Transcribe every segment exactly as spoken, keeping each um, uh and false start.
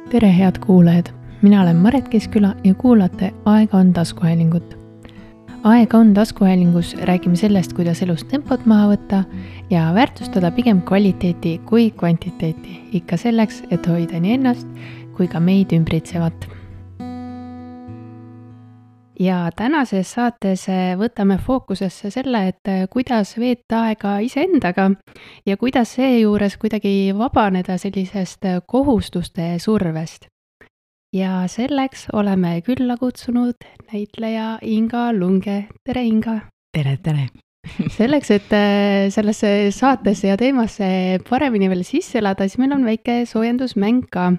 Tere head kuulajad, mina olen Maret Keskküla ja kuulate Aega on taskuhäälingut. Aega on taskuhäälingus räägime sellest, kuidas elus tempot maha võtta ja väärtustada pigem kvaliteeti kui kvantiteeti, ikka selleks, et hoida nii ennast kui ka meid ümbritsevat. Ja tänases saates võtame fookusesse selle, et kuidas veeta aega iseendaga ja kuidas seejuures kuidagi vabaneda sellisest kohustuste survest. Ja selleks oleme külla kutsunud näitleja Inga Lunge. Tere Inga! Tere, tere! Selleks, et sellesse saatesse ja teemasse paremini veel sisse elada, siis meil on väike soojendusmäng ka.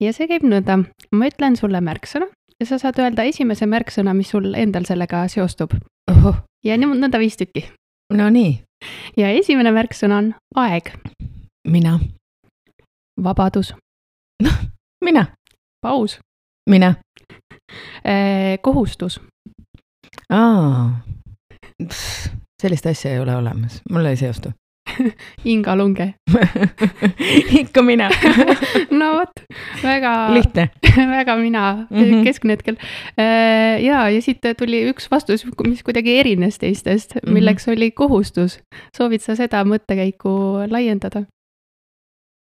Ja see käib nõnda. Ma ütlen sulle märksõna ja sa saad öelda esimese märksõna, mis sul endal sellega seostub. Oho. Ja nõnda viis tükki. No nii. Ja esimene märksõna on aeg. Mina. Vabadus. Noh, mina. Paus. Mina. Eh, kohustus. Aa. Pff, sellist asja ei ole olemas. Mulle ei seostu. Inga Lunge. Ikka mina. No võt, väga, lihtne. Väga mina mm-hmm. keskne hetkel. Ja, ja siit tuli üks vastus, mis kuidagi erines teistest, milleks mm-hmm. oli kohustus. Soovid sa seda mõttekäiku laiendada?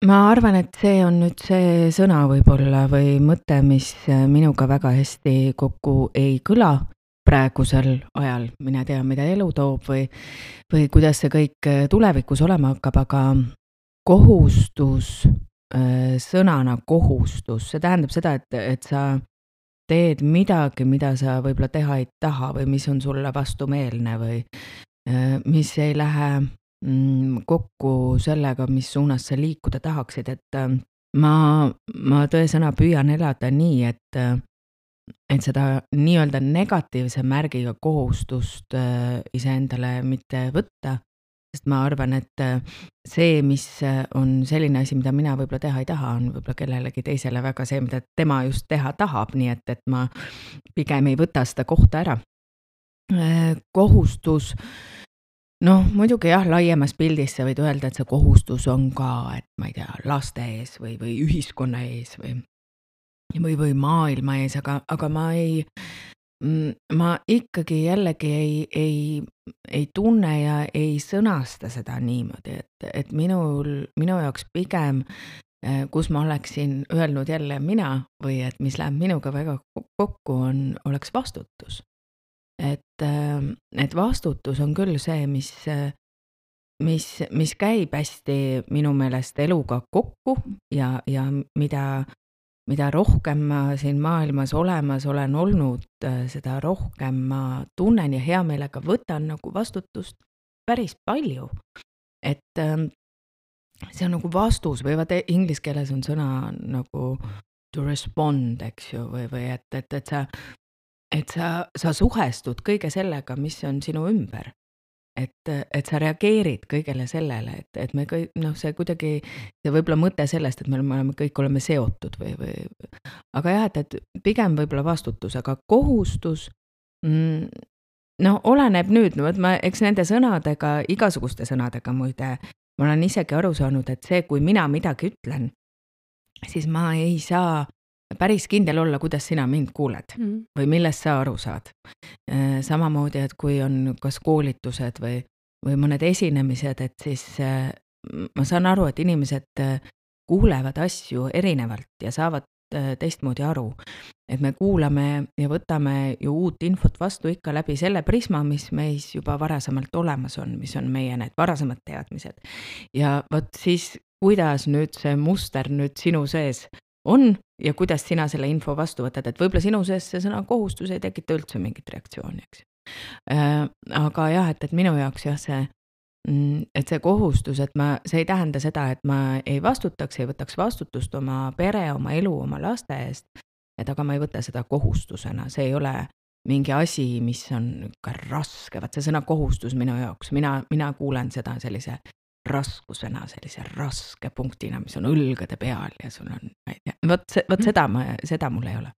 Ma arvan, et see on nüüd see sõna võib-olla või mõte, mis minuga väga hästi kokku ei kõla praegusel ajal. Mina tea, mida elu toob või, või kuidas see kõik tulevikus olema hakkab, aga kohustus, sõnana kohustus, see tähendab seda, et, et sa teed midagi, mida sa võib-olla teha ei taha või mis on sulle vastumeelne või mis ei lähe kokku sellega, mis suunas sa liikuda tahaksid, et ma, ma tõesõna püüan elada nii, et, et seda nii-öelda negatiivse märgiga kohustust iseendale mitte võtta, sest ma arvan, et see, mis on selline asi, mida mina võib-olla teha ei taha, on võib-olla kellelegi teisele väga see, mida tema just teha tahab, nii et, et ma pigem ei võta seda kohta ära. Kohustus noh, muidugi jah, laiemas pildis sa võid öelda, et see kohustus on ka, et ma ei tea, laste ees või, või ühiskonna ees või, või, või maailma ees, aga, aga ma ei, ma ikkagi jällegi ei, ei, ei tunne ja ei sõnasta seda niimoodi, et, et minul, minu jaoks pigem, kus ma oleksin öelnud jälle mina või et mis läheb minuga väga kokku, on, oleks vastutus. Et, et vastutus on küll see, mis, mis, mis käib hästi minu meelest eluga kokku ja, ja mida, mida rohkem ma siin maailmas olemas olen olnud, seda rohkem ma tunnen ja hea meelega võtan nagu vastutust päris palju. Et see on nagu vastus või vaat inglise keeles on sõna nagu to respond, eks ju, või, või et, et, et sa et sa, sa suhestud kõige sellega, mis on sinu ümber. Et, et sa reageerid kõigele sellele, et, et me kõik, noh, see kuidagi, see võib-olla mõte sellest, et me oleme, kõik oleme seotud või, või, aga jah, et, et pigem võib-olla vastutus, aga kohustus, mm, no oleneb nüüd, no, ma, eks nende sõnadega, igasuguste sõnadega muide, ma olen isegi aru saanud, et see, kui mina midagi ütlen, siis ma ei saa päris kindel olla, kuidas sina mind kuuled mm. või millest sa aru saad. Samamoodi, et kui on kas koolitused või, või mõned esinemised, et siis ma saan aru, et inimesed kuulevad asju erinevalt ja saavad teistmoodi aru. Et me kuulame ja võtame ju uut infot vastu ikka läbi selle prisma, mis meis juba varasemalt olemas on, mis on meie need varasemad teadmised. Ja võt siis, kuidas nüüd see muster nüüd sinu sees on ja kuidas sina selle info vastu võtad, et võib-olla sinu sees see sõna kohustus ei tekita üldse mingit reaktsiooni, eks. Aga jah, et, et minu jaoks jah see, et see kohustus, et ma, see ei tähenda seda, et ma ei vastutaks, ei võtaks vastutust oma pere, oma elu, oma laste eest, et aga ma ei võta seda kohustusena, see ei ole mingi asi, mis on ka raske, vaat see sõna kohustus minu jaoks, mina, mina kuulen seda sellise raskusena, sellise raske punktina, mis on õlgade peal ja sul on, ma ei tea, võt, võt seda, ma, seda mul ei ole.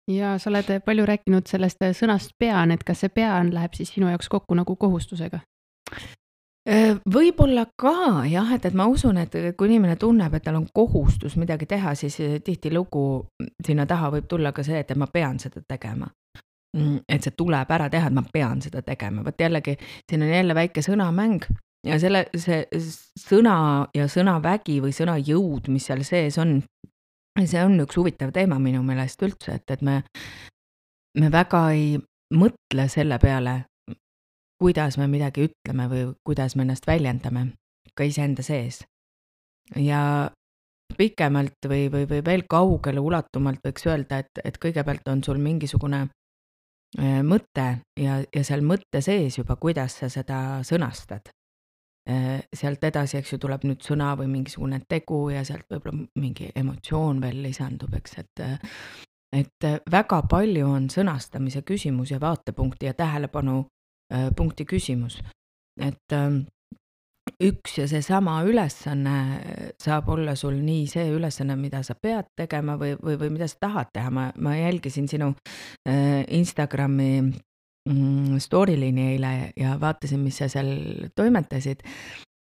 Ja sa oled palju rääkinud sellest sõnast pean, et kas see pean läheb siis sinu jaoks kokku nagu kohustusega? Võib-olla ka jah, et, et ma usun, et kui inimene tunneb, et tal on kohustus midagi teha, siis tihtilugu sinna taha võib tulla ka see, et ma pean seda tegema. Et see tuleb ära teha, et ma pean seda tegema. Võt jällegi, siin on jälle väike sõnamäng ja selle, see sõna ja sõnavägi või sõnajõud, mis seal sees on, see on üks huvitav teema minu meelest üldse, et, et me, me väga ei mõtle selle peale, kuidas me midagi ütleme või kuidas me ennast väljendame ka iseenda sees. Ja pikemalt või, või, või veel kaugele ulatumalt võiks öelda, et, et kõigepealt on sul mingisugune mõte ja, ja seal mõtte sees juba, kuidas sa seda sõnastad. Sealt edasi, eks ju, tuleb nüüd sõna või mingisugune tegu ja sealt võib-olla mingi emotsioon veel lisandub, eks, et, et väga palju on sõnastamise küsimus ja vaatepunkti ja tähelepanu punkti küsimus, et üks ja see sama ülesanne saab olla sul nii see ülesanne, mida sa pead tegema või, või, või mida sa tahad teha. Ma, ma jälgisin sinu Instagrami story liini eile ja vaatasin, mis sa seal toimetasid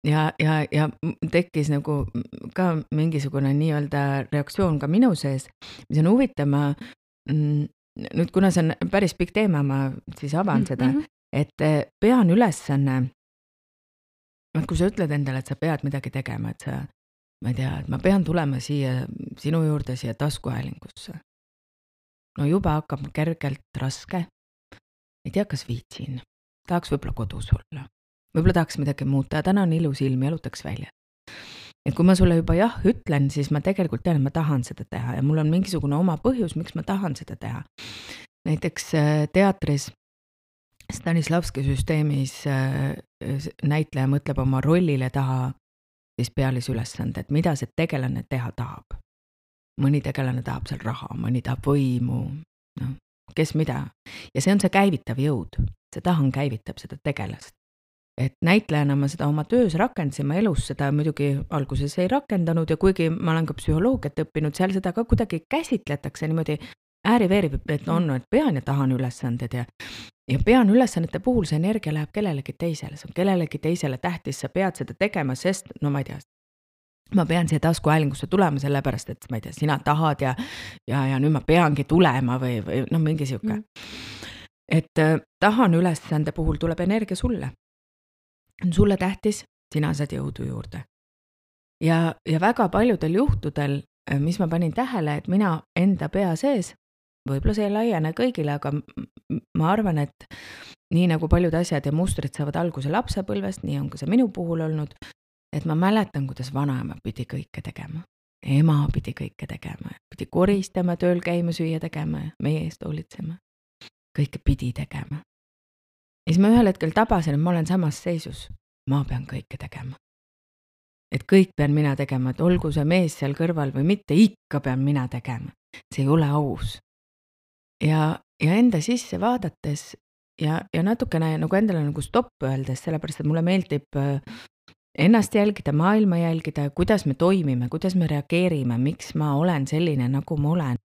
ja, ja, ja tekkis nagu ka mingisugune nii-öelda reaktsioon ka minu sees, mis on huvitav. Ma nüüd, kuna see on päris pikk teema, ma siis avan mm-hmm. seda, et pean ülesanne, kui sa ütled endale, et sa pead midagi tegema, et sa, ma ei tea, et ma pean tulema siia sinu juurde siia taskuhäälingusse. No juba hakkab kergelt raske. Ei tea, kas viitsin. Tahaks võib-olla kodus olla. Võib-olla tahaks midagi muuta. Täna on ilus ilm, jalutaks välja. Et kui ma sulle juba jah ütlen, siis ma tegelikult tean, et ma tahan seda teha ja mul on mingisugune oma põhjus, miks ma tahan seda teha. Näiteks teatris Stanislavski süsteemis näitleja mõtleb oma rollile taha siis pealisülesande, et mida see tegelane teha tahab. Mõni tegelane tahab seal raha, mõni tahab võimu, no, kes mida. Ja see on see käivitav jõud, see tahan käivitab seda tegelast. Et näitlejana ma seda oma töös rakendasin, ma elus seda muidugi alguses ei rakendanud ja kuigi ma olen ka psühholoogiat õppinud, seal seda ka kuidagi käsitletakse niimoodi ääri-veeri, et on, et pean ja tahan ülesanded ja Ja pean ülesannete puhul see energia läheb kellelegi teisele, see on kellelegi teisele tähtis, sa pead seda tegema, sest, no ma ei tea, ma pean siia taskuhäälingusse tulema sellepärast, et ma ei tea, sina tahad ja, ja, ja nüüd ma peangi tulema või, või no mingi siuke. Mm. Et äh, tahan ülesande puhul tuleb energia sulle. On sulle tähtis, sina saad jõudu juurde. Ja, ja väga paljudel juhtudel, mis ma panin tähele, et mina enda pea sees, võib-olla see ei laiene kõigile, aga ma arvan, et nii nagu paljud asjad ja mustrid saavad alguse lapsepõlvest, nii on ka see minu puhul olnud, et ma mäletan, kuidas vanaema pidi kõike tegema. Ema pidi kõike tegema, pidi koristama, tööl käima, süüa tegema, meie eest hoolitsema. Kõike pidi tegema. Ja siis ma ühel hetkel tabasin, et ma olen samas seisus. Ma pean kõike tegema. Et kõik pean mina tegema, et olgu see mees seal kõrval või mitte, ikka pean mina tegema. See ei ole aus. Ja, ja enda sisse vaadates ja, ja natukene nagu endale nagu stopp öeldes, sellepärast, et mulle meeldib ennast jälgida, maailma jälgida, kuidas me toimime, kuidas me reageerime, miks ma olen selline, nagu ma olen.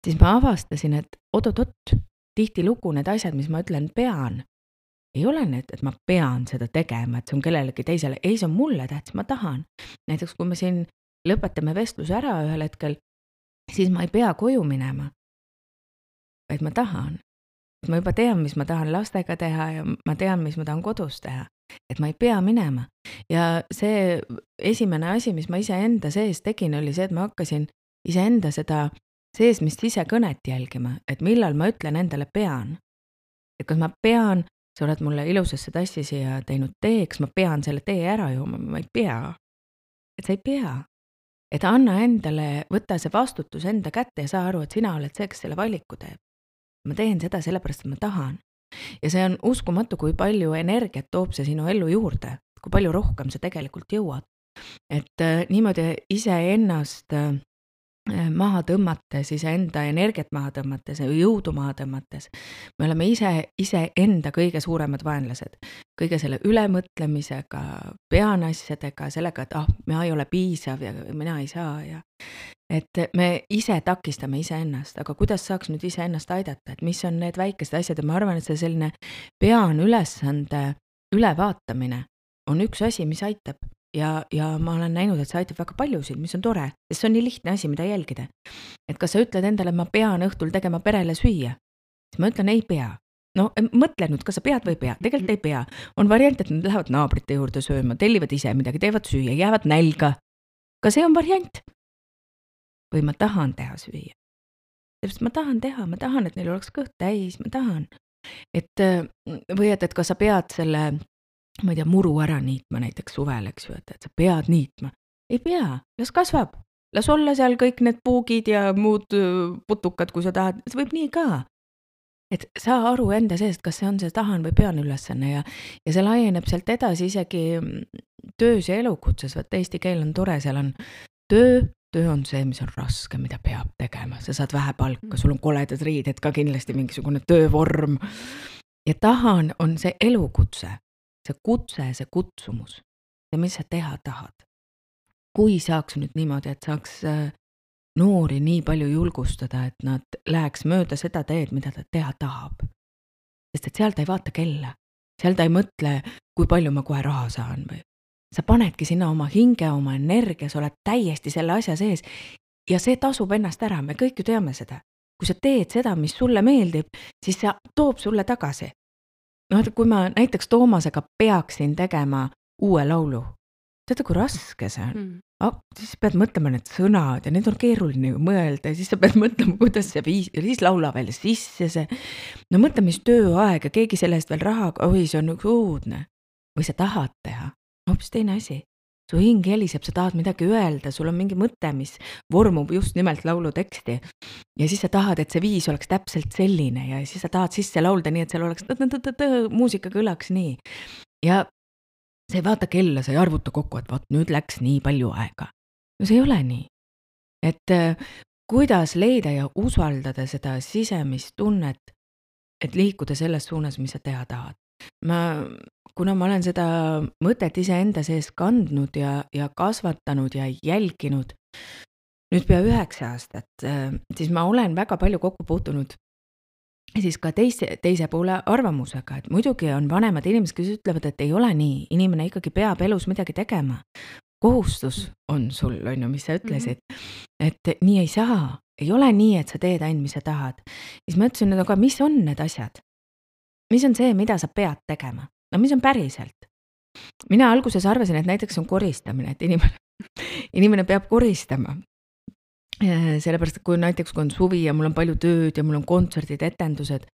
Siis ma avastasin, et oot-oot-oot, tihti lugu need asjad, mis ma ütlen pean, ei ole need, et ma pean seda tegema, et see on kellelegi teisele. Ei, see on mulle tähtis, ma tahan. Näiteks, kui me siin lõpetame vestluse ära ühel hetkel, siis ma ei pea koju minema. Vaid ma tahan. Ma juba tean, mis ma tahan lastega teha ja ma tean, mis ma tahan kodus teha. Et ma ei pea minema. Ja see esimene asi, mis ma ise enda sees tegin, oli see, et ma hakkasin ise enda seda seesmist ise kõnet jälgima, et millal ma ütlen endale pean. Et kas ma pean, sa oled mulle ilusasse tassi siia teinud tee, kas ma pean selle tee ära jooma, ma ei pea. Et sa ei pea. Et anna endale, võtta see vastutus enda kätte ja saa aru, et sina oled see, kes selle valiku teeb. Ma teen seda sellepärast, et ma tahan. Ja see on uskumatu, kui palju energiat toob see sinu ellu juurde, kui palju rohkem sa tegelikult jõuad. Et äh, niimoodi ise ennast äh, maha tõmmates, ise enda energiat maha tõmmates, jõudu maha tõmmates. Me oleme ise, ise enda kõige suuremad vaenlased. Kõige selle ülemõtlemisega, pean asjadega, sellega, et ah, mina ei ole piisav ja mina ei saa. Ja et me ise takistame ise ennast, aga kuidas saaks nüüd ise ennast aidata, et mis on need väikesed asjad ja ma arvan, et see selline pean ülesande ülevaatamine on üks asi, mis aitab ja, ja ma olen näinud, et see aitab väga paljusid, mis on tore, sest see on nii lihtne asi, mida jälgida. Et kas sa ütled endale, ma pean õhtul tegema perele süüa, siis ma ütlen, ei pea. No mõtle nüüd, kas sa pead või ei pea, tegelikult ei pea. On variant, et nad lähevad naabrite juurde sööma, tellivad ise midagi, teevad süüa, jäävad nälga. Ka see on variant. Või ma tahan teha süüa. Sest ma tahan teha, ma tahan, et neil oleks kõht täis, ma tahan. Et, või et, et kas sa pead selle, ma ei tea, muru ära niitma näiteks suvel, eks ju, et, et sa pead niitma. Ei pea, las kasvab. Las olla seal kõik need puugid ja muud putukad, kui sa tahad, see võib nii ka. Et saa aru enda seest, kas see on see tahan või pean ülesanne ja, ja see laieneb sealt edasi isegi töös ja elukutses, vaat eesti keel on tore, seal on töö, töö on see, mis on raske, mida peab tegema, sa saad vähe palka, sul on koledad riided ka kindlasti mingisugune töövorm ja tahan on see elukutse, see kutse, see kutsumus ja mis sa teha tahad. Kui saaks nüüd niimoodi, et saaks noori nii palju julgustada, et nad läheks mööda seda teed, mida ta teha tahab. Sest et seal ta ei vaata kella. Seal ta ei mõtle, kui palju ma kohe raha saan või. Sa panedki sinna oma hinge, oma energia, sa oled täiesti selle asja sees ja see tasub ennast ära, me kõik ju teame seda. Kui sa teed seda, mis sulle meeldib, siis see toob sulle tagasi. No, kui ma näiteks Toomasega peaksin tegema uue laulu, tead, kui raske see on? Mm. Oh, siis pead mõtlema need sõnad ja need on keeruline mõelda ja siis sa pead mõtlema, kuidas see viis ja siis laula veel sisse see. No mõtle, mis tööaeg ja keegi sellest veel raha, oi, see on üks uudne. Või sa tahad teha, hoopis teine asi. Su hing heliseb, sa tahad midagi öelda, sul on mingi mõte, mis vormub just nimelt laulu teksti. Ja siis sa tahad, et see viis oleks täpselt selline ja siis sa tahad sisse laulda nii, et seal oleks muusika kõlaks nii. Ja sa ei vaata kella, sa ei arvuta kokku, et vaat nüüd läks nii palju aega. No see ei ole nii. Et kuidas leida ja usaldada seda sisemist tunnet, et liikuda selles suunas, mis sa teha tahad. Ma, kuna ma olen seda mõtet ise enda sees kandnud ja, ja kasvatanud ja jälginud, nüüd pea üheksa aastat, siis ma olen väga palju kokku puutunud ja siis ka teise, teise poole arvamusega, et muidugi on vanemad inimesed, kes ütlevad, et ei ole nii, inimene ikkagi peab elus midagi tegema. Kohustus on sul, on ju, mis sa ütlesid, mm-hmm. et nii ei saa, ei ole nii, et sa teed ainult, mis sa tahad. Siis ma ütlesin, aga mis on need asjad? Mis on see, mida sa pead tegema? No mis on päriselt? Mina alguses arvasin, et näiteks on koristamine, et inimene, inimene peab koristama. Sellepärast, et kui näiteks kui on suvi ja mul on palju tööd ja mul on kontserdid, etendused,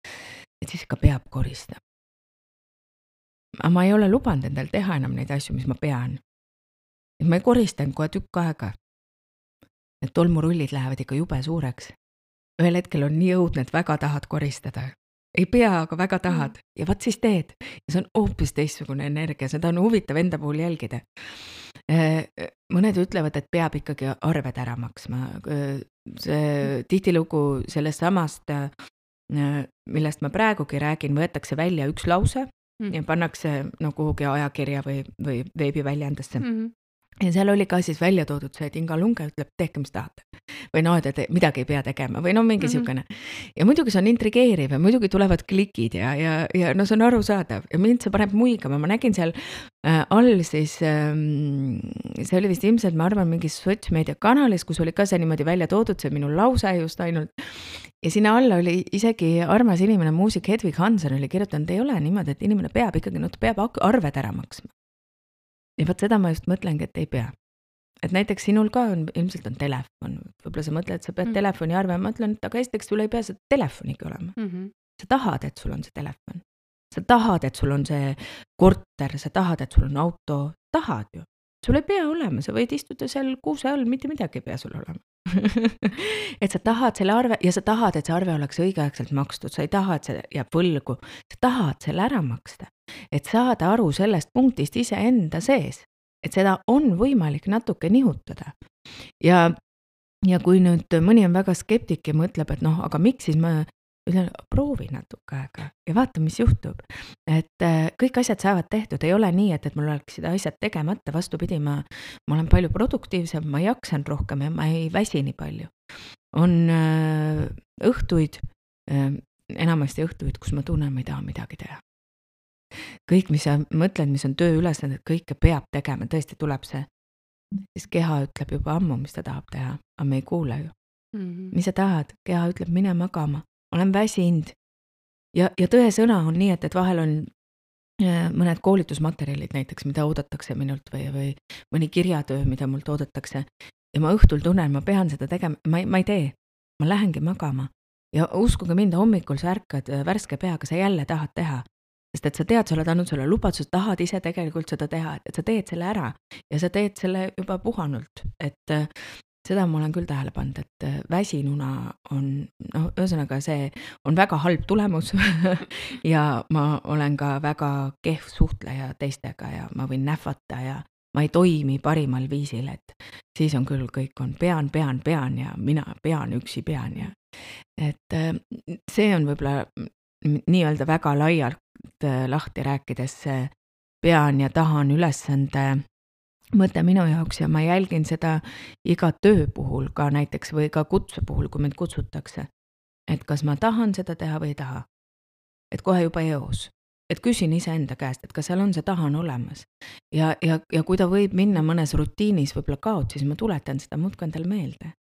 et siis ka peab koristama. Aga ma ei ole lubanud endal teha enam neid asju, mis ma pean. Et ma ei koristan kohe tükk aega. Et tolmurullid lähevad ikka jube suureks. Ühel hetkel on nii õudne, et väga tahad koristada. Ei pea, aga väga tahad. Ja vaat siis teed. Ja see on hoopis teistsugune energia, seda on huvitav enda puhul jälgida. Mõned ütlevad, et peab ikkagi arved ära maksma. See tihtilugu sellest samast, millest ma praegugi räägin, võetakse välja üks lause mm. ja pannakse no, kuhugi ajakirja või, või veebiväljaandesse. Mm-hmm. Ja seal oli ka siis välja toodud see, et Inga Lunge ütleb, tehke mis tahate. Või no, et midagi ei pea tegema või no mingi mm-hmm. siukene. Ja muidugi see on intrigeeriv ja muidugi tulevad klikid ja, ja, ja no see on arusaadav. Ja mind see paneb muigama. Ma nägin seal äh, all siis, äh, see oli vist ilmselt, ma arvan, mingis sotsmeedia kanalis, kus oli ka see niimoodi välja toodud, see minu lause just ainult. Ja sinna alla oli isegi armas inimene, muusik Hedvig Hansen oli kirjutanud, ei ole niimoodi, et inimene peab ikkagi, no ta peab arved ära maksma. Ja võt seda ma just mõtlengi, et ei pea. Et näiteks sinul ka on, ilmselt on telefon. Võib-olla sa mõtled, et sa pead mm. telefoni arve. Ma mõtlen, et aga esiteks sul ei pea seda telefonigi olema. Mm-hmm. Sa tahad, et sul on see telefon. Sa tahad, et sul on see korter. Sa tahad, et sul on auto. Tahad ju. Sul ei pea olema. Sa võid istuda seal kuuse all, mitte midagi ei pea sul olema. et sa tahad selle arve ja sa tahad, et see arve oleks õigeaegselt makstud. Sa ei taha, et see jääb võlgu. Sa tahad selle ära maksta. Et saada aru sellest punktist ise enda sees, et seda on võimalik natuke nihutada. Ja, ja kui nüüd mõni on väga skeptik ja mõtleb, et noh, aga miks siis ma ütlen, proovi natuke aega ja vaata, mis juhtub. Et kõik asjad saavad tehtud, ei ole nii, et, et mul oleks seda asjad tegemata, vastupidi, ma, ma olen palju produktiivsem, ma jaksan rohkem ja ma ei väsi nii palju. On äh, õhtuid, äh, enamasti õhtuid, kus ma tunnen, ma ei taha midagi teha. kõik, mis sa mõtled, mis on tööülesanded, kõike peab tegema, tõesti tuleb see, siis keha ütleb juba ammu, mis ta tahab teha, aga me ei kuule ju. Mm -hmm. Mis sa tahad? Keha ütleb, mine magama, olen väsinud. Ja, ja tõe sõna on nii, et, et vahel on mõned koolitusmaterjalid näiteks, mida oodatakse minult või, või mõni kirjatöö, mida mult oodatakse. Ja ma õhtul tunnen, ma pean seda tegema, ma ei, ma ei tee, ma lähengi magama. Ja uskuge mind, hommikul sa ärkad värske peaga, sa jälle tahad teha. Sest et sa tead, sa oled andnud selle lubaduse, tahad ise tegelikult seda teha, et sa teed selle ära. Ja sa teed selle juba puhanult. Et seda ma olen küll tähele pannud, et väsinuna on, noh, ühesõnaga see on väga halb tulemus ja ma olen ka väga kehv suhtleja teistega ja ma võin nähvata ja ma ei toimi parimal viisil, et siis on küll kõik on pean, pean, pean ja mina pean, üksi pean ja et see on võib-olla nii-öelda väga laialt lahti rääkides pean ja tahan ülesande mõte minu jaoks ja ma jälgin seda iga töö puhul ka näiteks või ka kutse puhul, kui mind kutsutakse. Et kas ma tahan seda teha või ei taha. Et kohe juba eos. Et küsin iseenda käest, et kas seal on see tahan olemas. Ja, ja, ja kui ta võib minna mõnes rutiinis võib-olla kaot, siis ma tuletan seda muudkui endale meelde.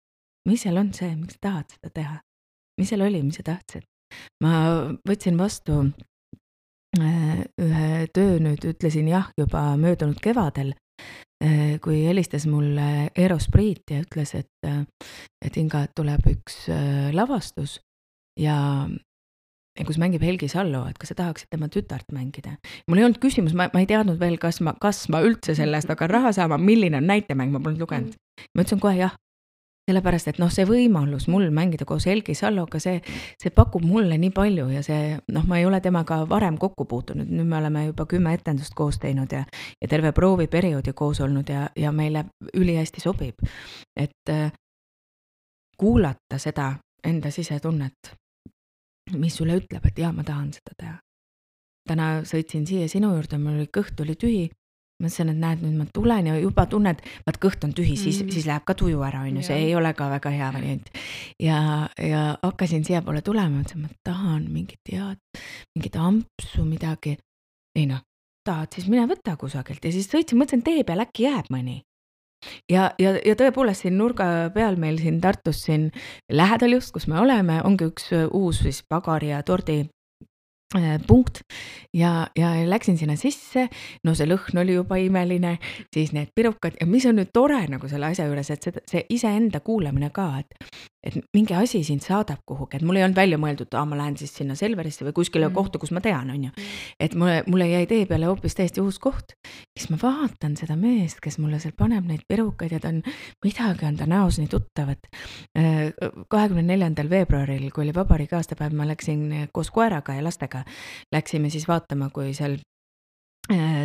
Mis seal on see, miks tahad seda teha? Mis seal oli, mis sa tahtsid? Ma võtsin vastu ühe töö nüüd, ütlesin jah juba möödunud kevadel, kui helistas mulle Eros Priit ja ütles, et, et Inga tuleb üks lavastus ja, ja kus mängib Helgi Sallo, et kas sa tahaksid tema tütart mängida. Mul ei olnud küsimus, ma, ma ei teadnud veel, kas ma, kas ma üldse sellest aga raha saama, milline on näitemäng, ma polnud lugenud. Ma ütlesin kohe jah, sellepärast, et noh, see võimalus mul mängida koos Helgi Salloga, see, see pakub mulle nii palju ja see, noh, ma ei ole temaga varem kokku puutunud, nüüd me oleme juba kümme etendust koos teinud ja, ja terve prooviperioodi koos olnud ja, ja meile ülihästi sobib. Et kuulata seda enda sisetunnet, mis sulle ütleb, et jah, ma tahan seda teha. Täna sõitsin siia sinu juurde, mul oli kõht oli tühi. Ma mõtlesin, et näed, nüüd ma tulen ja juba tunned, vaat kõht on tühi, siis, mm. siis läheb ka tuju ära, on ju, see ei ole ka väga hea variant. Ja, ja hakkasin siia poole tulema, et ma tahan mingit head, mingit ampsu, midagi. Ei noh, tahad, siis mine võtta kusagilt ja siis sõitsin, mõtlesin, tee peal äkki jääb mõni. Ja, ja, ja tõepoolest siin nurga peal meil siin Tartus siin lähedal just, kus me oleme, ongi üks uus siis pagari ja tordi punkt ja, ja läksin sinna sisse, no see lõhn oli juba imeline, siis need pirukad ja mis on nüüd tore nagu selle asja juures, et see, see iseenda kuulamine ka, et, et mingi asi sind saadab kuhugi, et mul ei olnud välja mõeldud, et ma lähen siis sinna Selverisse või kuskile mm. kohta, kus ma tean, on ju. Et mulle, mulle jäi tee peale hoopis täiesti uus koht, siis ma vaatan seda meest, kes mulle seal paneb neid pirukaid ja ta on, midagi on ta näos nii tuttav, et kahekümne neljandal veebruaril, kui oli vabariigi aastapäev, ma läksin koos koeraga ja lastega läksime siis vaatama, kui seal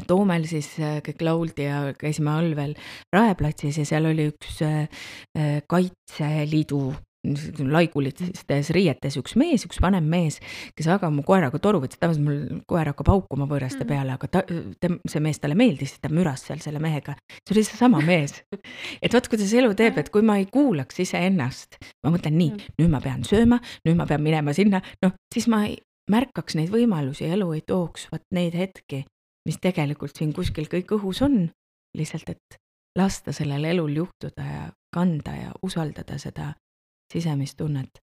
Toomel siis kõik lauldi ja käisime all veel Raeplatsis ja seal oli üks Kaitseliidu laigulistes riietes üks mees, üks vanem mees, kes väga mu koeraga toru võttis, tavaliselt mul koer hakkab haukuma võõraste peale, aga ta, ta, see mees talle meeldis, ta müras seal selle mehega. See oli see sama mees. Et vaat, kuidas elu teeb, et kui ma ei kuulaks ise ennast, ma mõtlen nii, nüüd ma pean sööma, nüüd ma pean minema sinna, noh, siis ma ei märkaks neid võimalusi, elu ei tooks vaat neid hetki, mis tegelikult siin kuskil kõik õhus on, lihtsalt, et lasta sellel elul juhtuda ja kanda ja usaldada seda sisemistunnet.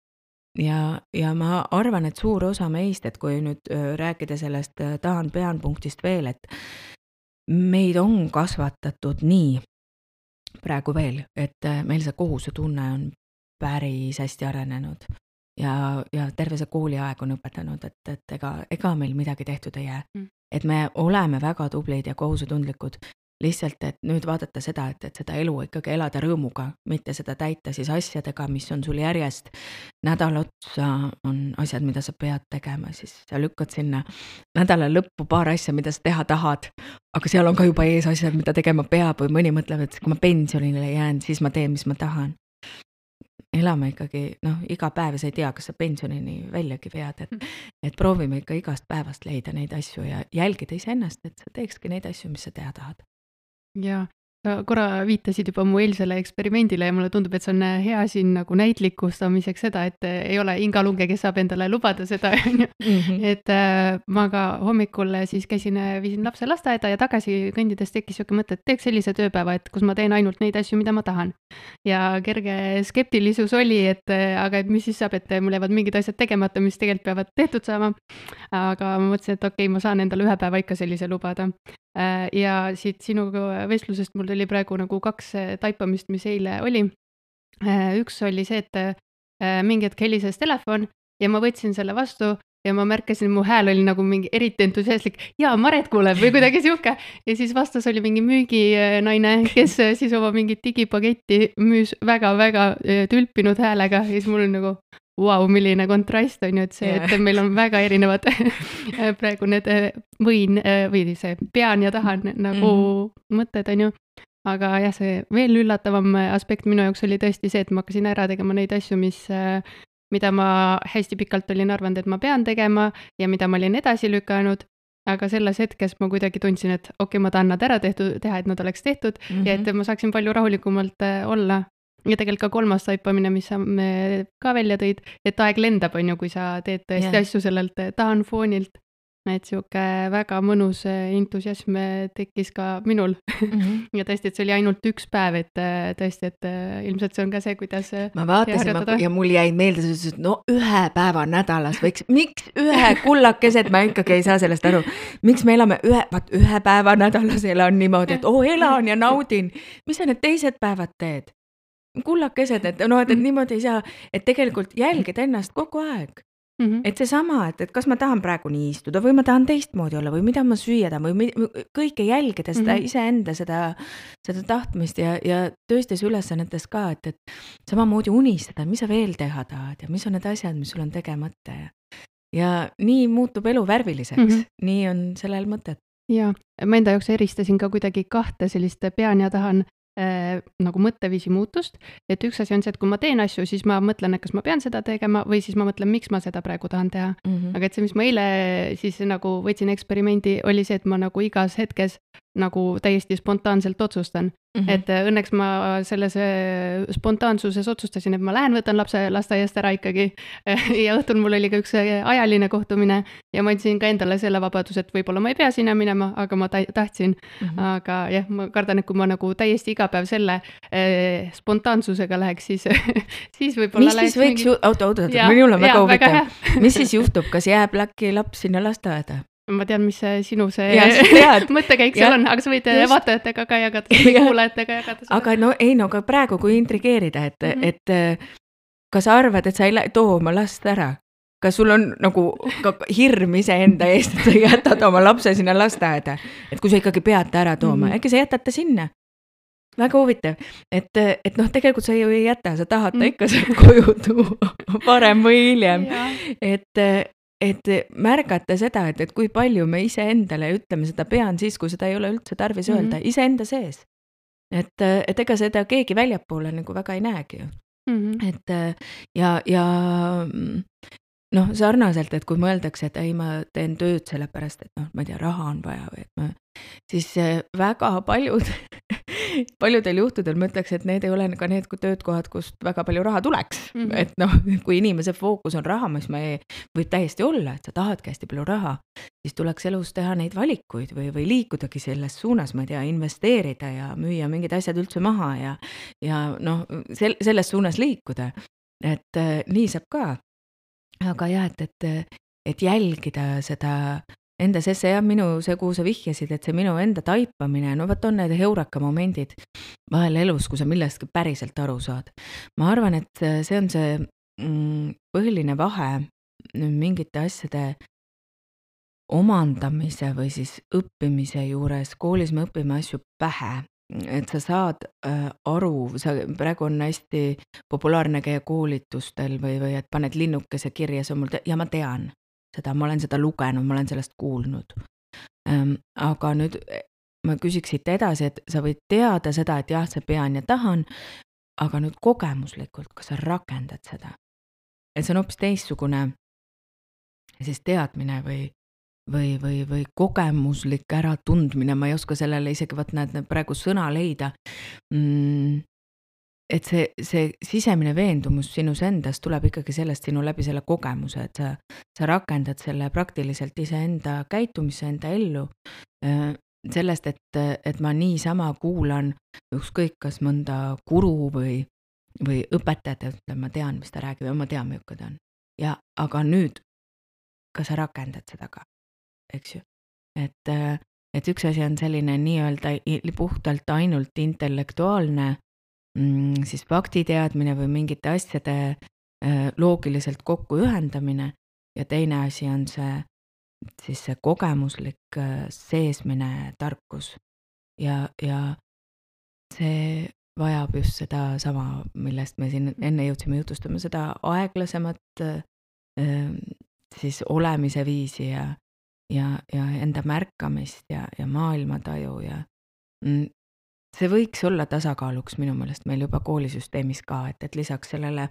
Ja, ja ma arvan, et suur osa meist, et kui nüüd rääkida sellest tahan pean punktist veel, et meid on kasvatatud nii praegu veel, et meil see kohuse tunne on päris hästi arenenud. Ja, ja terve see kooliaeg on õpetanud, et, et ega, ega meil midagi tehtud ei jää. Mm. Et me oleme väga tublid ja kohusetundlikud. Lihtsalt, et nüüd vaadata seda, et, et seda elu ikkagi elada rõõmuga, mitte seda täita siis asjadega, mis on sul järjest. Nädal otsa on asjad, mida sa pead tegema, siis sa lükkad sinna nädala lõppu paar asja, mida sa teha tahad, aga seal on ka juba ees asjad, mida tegema peab või mõni mõtleb, et kui ma pensionile jään, siis ma teen, mis ma tahan. Elame ikkagi, noh, iga päev sa ei tea, kas sa pensionini väljagi vead, et, et proovime ikka igast päevast leida neid asju ja jälgida ise ennast, et sa teekski neid asju, mis sa teha tahad. Ja, sa korra viitasid juba mu eilsele eksperimendile ja mulle tundub, et see on hea siin nagu näitlikustamiseks seda, et ei ole ingalunge, kes saab endale lubada seda, on ju. Et äh, ma ka hommikul siis käisin, viisin lapse lasteaeda ja tagasi kõndides tekkis siuke mõte, et teeks sellise tööpäeva, et kus ma teen ainult neid asju, mida ma tahan. Ja kerge skeptilisus oli, et aga et mis siis saab, et mul jäävad mingid asjad tegemata, mis tegelikult peavad tehtud saama. Aga ma mõtlesin, et okei, ma saan endale ühe päeva ikka sellise lubada. Ja siit sinu vestlusest mul tuli praegu nagu kaks taipamist, mis eile oli. Üks oli see, et mingi hetk helises telefon ja ma võtsin selle vastu ja ma märkasin, mu hääl oli nagu mingi eriti entusiastlik. Jaa, Maret kuuleb või kuidagi siuke. Ja siis vastas oli mingi müüginaine, kes siis oma mingit digipaketti müüs väga-väga tülpinud häälega ja siis mul oli nagu vau, milline kontrast on ju, et see, et meil on väga erinevad praegu need võin või see pean ja tahan nagu mm-hmm. mõtted on ju. Aga jah, see veel üllatavam aspekt minu jaoks oli tõesti see, et ma hakkasin ära tegema neid asju, mis, mida ma hästi pikalt olin arvanud, et ma pean tegema ja mida ma olin edasi lükanud. Aga selles hetkes ma kuidagi tundsin, et okei, ma tahan nad ära tehtud, teha, et nad oleks tehtud mm-hmm. ja et ma saaksin palju rahulikumalt olla. Ja tegelikult ka kolmas taipamine, mis sa ka välja tõid, et aeg lendab, on ju, kui sa teed tõesti yeah. asju sellelt tahan foonilt. Et siuke väga mõnus entusiasm tekkis ka minul. Mm-hmm. Ja tõesti, et see oli ainult üks päev, et tõesti, et ilmselt see on ka see, kuidas ma vaatasin ma, ja mul jäi meelde, et no ühe päeva nädalas võiks, miks ühe kullakesed, ma ikkagi ei saa sellest aru, miks me elame ühe, vaat ühe päeva nädalas elan niimoodi, et oo, elan ja naudin. Mis sa need teised päevad teed? Kullakesed, et no, et, et niimoodi ei saa, et tegelikult jälgida ennast kogu aeg. Mm-hmm. Et see sama, et, et kas ma tahan praegu nii istuda või ma tahan teistmoodi olla või mida ma süüa tahan või kõike jälgida seda mm-hmm. iseenda seda, seda tahtmist ja, ja tööstes ülesannetes ka, et, et samamoodi unistada, mis sa veel teha tahad ja mis on need asjad, mis sul on tegemata ja, ja nii muutub elu värviliseks, mm-hmm. nii on sellel mõtet. Ja ma enda jaoks eristasin ka kuidagi kahte sellist pean ja tahan Äh, nagu mõtteviisi muutust, et üks asi on see, et kui ma teen asju, siis ma mõtlen, et kas ma pean seda tegema või siis ma mõtlen, miks ma seda praegu tahan teha. Mm-hmm. Aga et see, mis ma eile siis nagu võtsin eksperimendi, oli see, et ma nagu igas hetkes nagu täiesti spontaanselt otsustan. Mm-hmm. Et õnneks ma selles spontaansuses otsustasin, et ma lähen, võtan lapse lasteaiast ära ikkagi ja õhtul mul oli ka üks ajaline kohtumine ja ma andsin ka endale selle vabadus, et võib-olla ma ei pea sinna minema, aga ma tahtsin. Mm-hmm. Aga jah, ma kardan, et kui ma nagu täiesti iga päev selle eh, spontaansusega läheks, siis, siis võib-olla mis siis võiks, mingi... oota, oota, oota, minul on väga huvitav. Mis siis juhtub, kas jääb äkki laps sinna lasteaeda? Ma tean, mis sinu see mõttekäik seal on, aga sa võid just vaatajatega ka jagada, kuulajatega jagada. Aga no ei, no aga praegu kui intrigeerida, et, mm-hmm. et kas sa arvad, et sa ei too oma last ära? Kas sul on nagu hirm iseenda eest, et sa jätad oma lapse sinna lasteaeda? Et kui sa ikkagi pead ta ära tooma, mm-hmm. äkki sa jätad ta sinna? Väga huvitav, et, et noh, tegelikult sa ju ei jäta, sa tahad ta ikka sealt koju tuua parem või hiljem, et et märgata seda, et, et kui palju me ise endale ütleme seda pean siis, kui seda ei ole üldse tarvis mm-hmm. öelda, ise enda sees. Et, et ega seda keegi väljapoole nagu väga ei näegi ju. Mm-hmm. Et ja, ja noh, sarnaselt, et kui mõeldakse, et ei, ma teen tööd sellepärast, et noh, ma ei tea, raha on vaja või et ma, siis väga paljud, paljudel juhtudel ma ütleks, et need ei ole ka need töötkohad, kust väga palju raha tuleks. Mm-hmm. Et noh, kui inimese fookus on raha, mis ma ei, võib täiesti olla, et sa tahadki hästi palju raha, siis tuleks elus teha neid valikuid või, või liikudagi selles suunas, ma ei tea, investeerida ja müüa mingid asjad üldse maha ja, ja noh, sel, selles suunas liikuda. Et äh, nii saab ka. Aga jah, et, et, et jälgida seda enda sesse ja minu see, kuhu sa vihjasid, et see minu enda taipamine, no võt on need heuraka momendid vahel elus, kui sa millestki päriselt aru saad. Ma arvan, et see on see mm, põhiline vahe mingite asjade omandamise või siis õppimise juures. Koolis me õpime asju pähe, et sa saad äh, aru, sa, praegu on hästi populaarne käia koolitustel või, või et paned linnukese kirja, see on mul te- ja ma tean seda, ma olen seda lugenud, ma olen sellest kuulnud. Ähm, aga nüüd ma küsiks siit edasi, et sa võid teada seda, et jah, see pean ja tahan, aga nüüd kogemuslikult, kas sa rakendad seda? Et see on hoopis teistsugune siis teadmine või või, või, või kogemuslik äratundmine, ma ei oska sellele isegi võt näed praegu sõna leida. Mm, et see, see sisemine veendumus sinus endas tuleb ikkagi sellest sinu läbi selle kogemuse, et sa, sa rakendad selle praktiliselt iseenda käitumisse, enda ellu. Sellest, et, et ma niisama kuulan ükskõik kas mõnda guru või, või õpetajat, et ma tean, mis ta räägib ja ma tean, milline ta on. Ja, aga nüüd, kas sa rakendad seda ka, eks ju? Et, et üks asi on selline nii-öelda puhtalt ainult intellektuaalne mm, siis faktiteadmine või mingite asjade äh, loogiliselt kokku ühendamine ja teine asi on see, siis see kogemuslik äh, seesmine tarkus ja, ja see vajab just seda sama, millest me siin enne jõudsime jutustama, seda aeglasemat äh, siis olemise viisi ja, ja, ja enda märkamist ja, ja maailmataju ja mm, see võiks olla tasakaaluks minu meelest meil juba koolisüsteemis ka, et, et lisaks sellele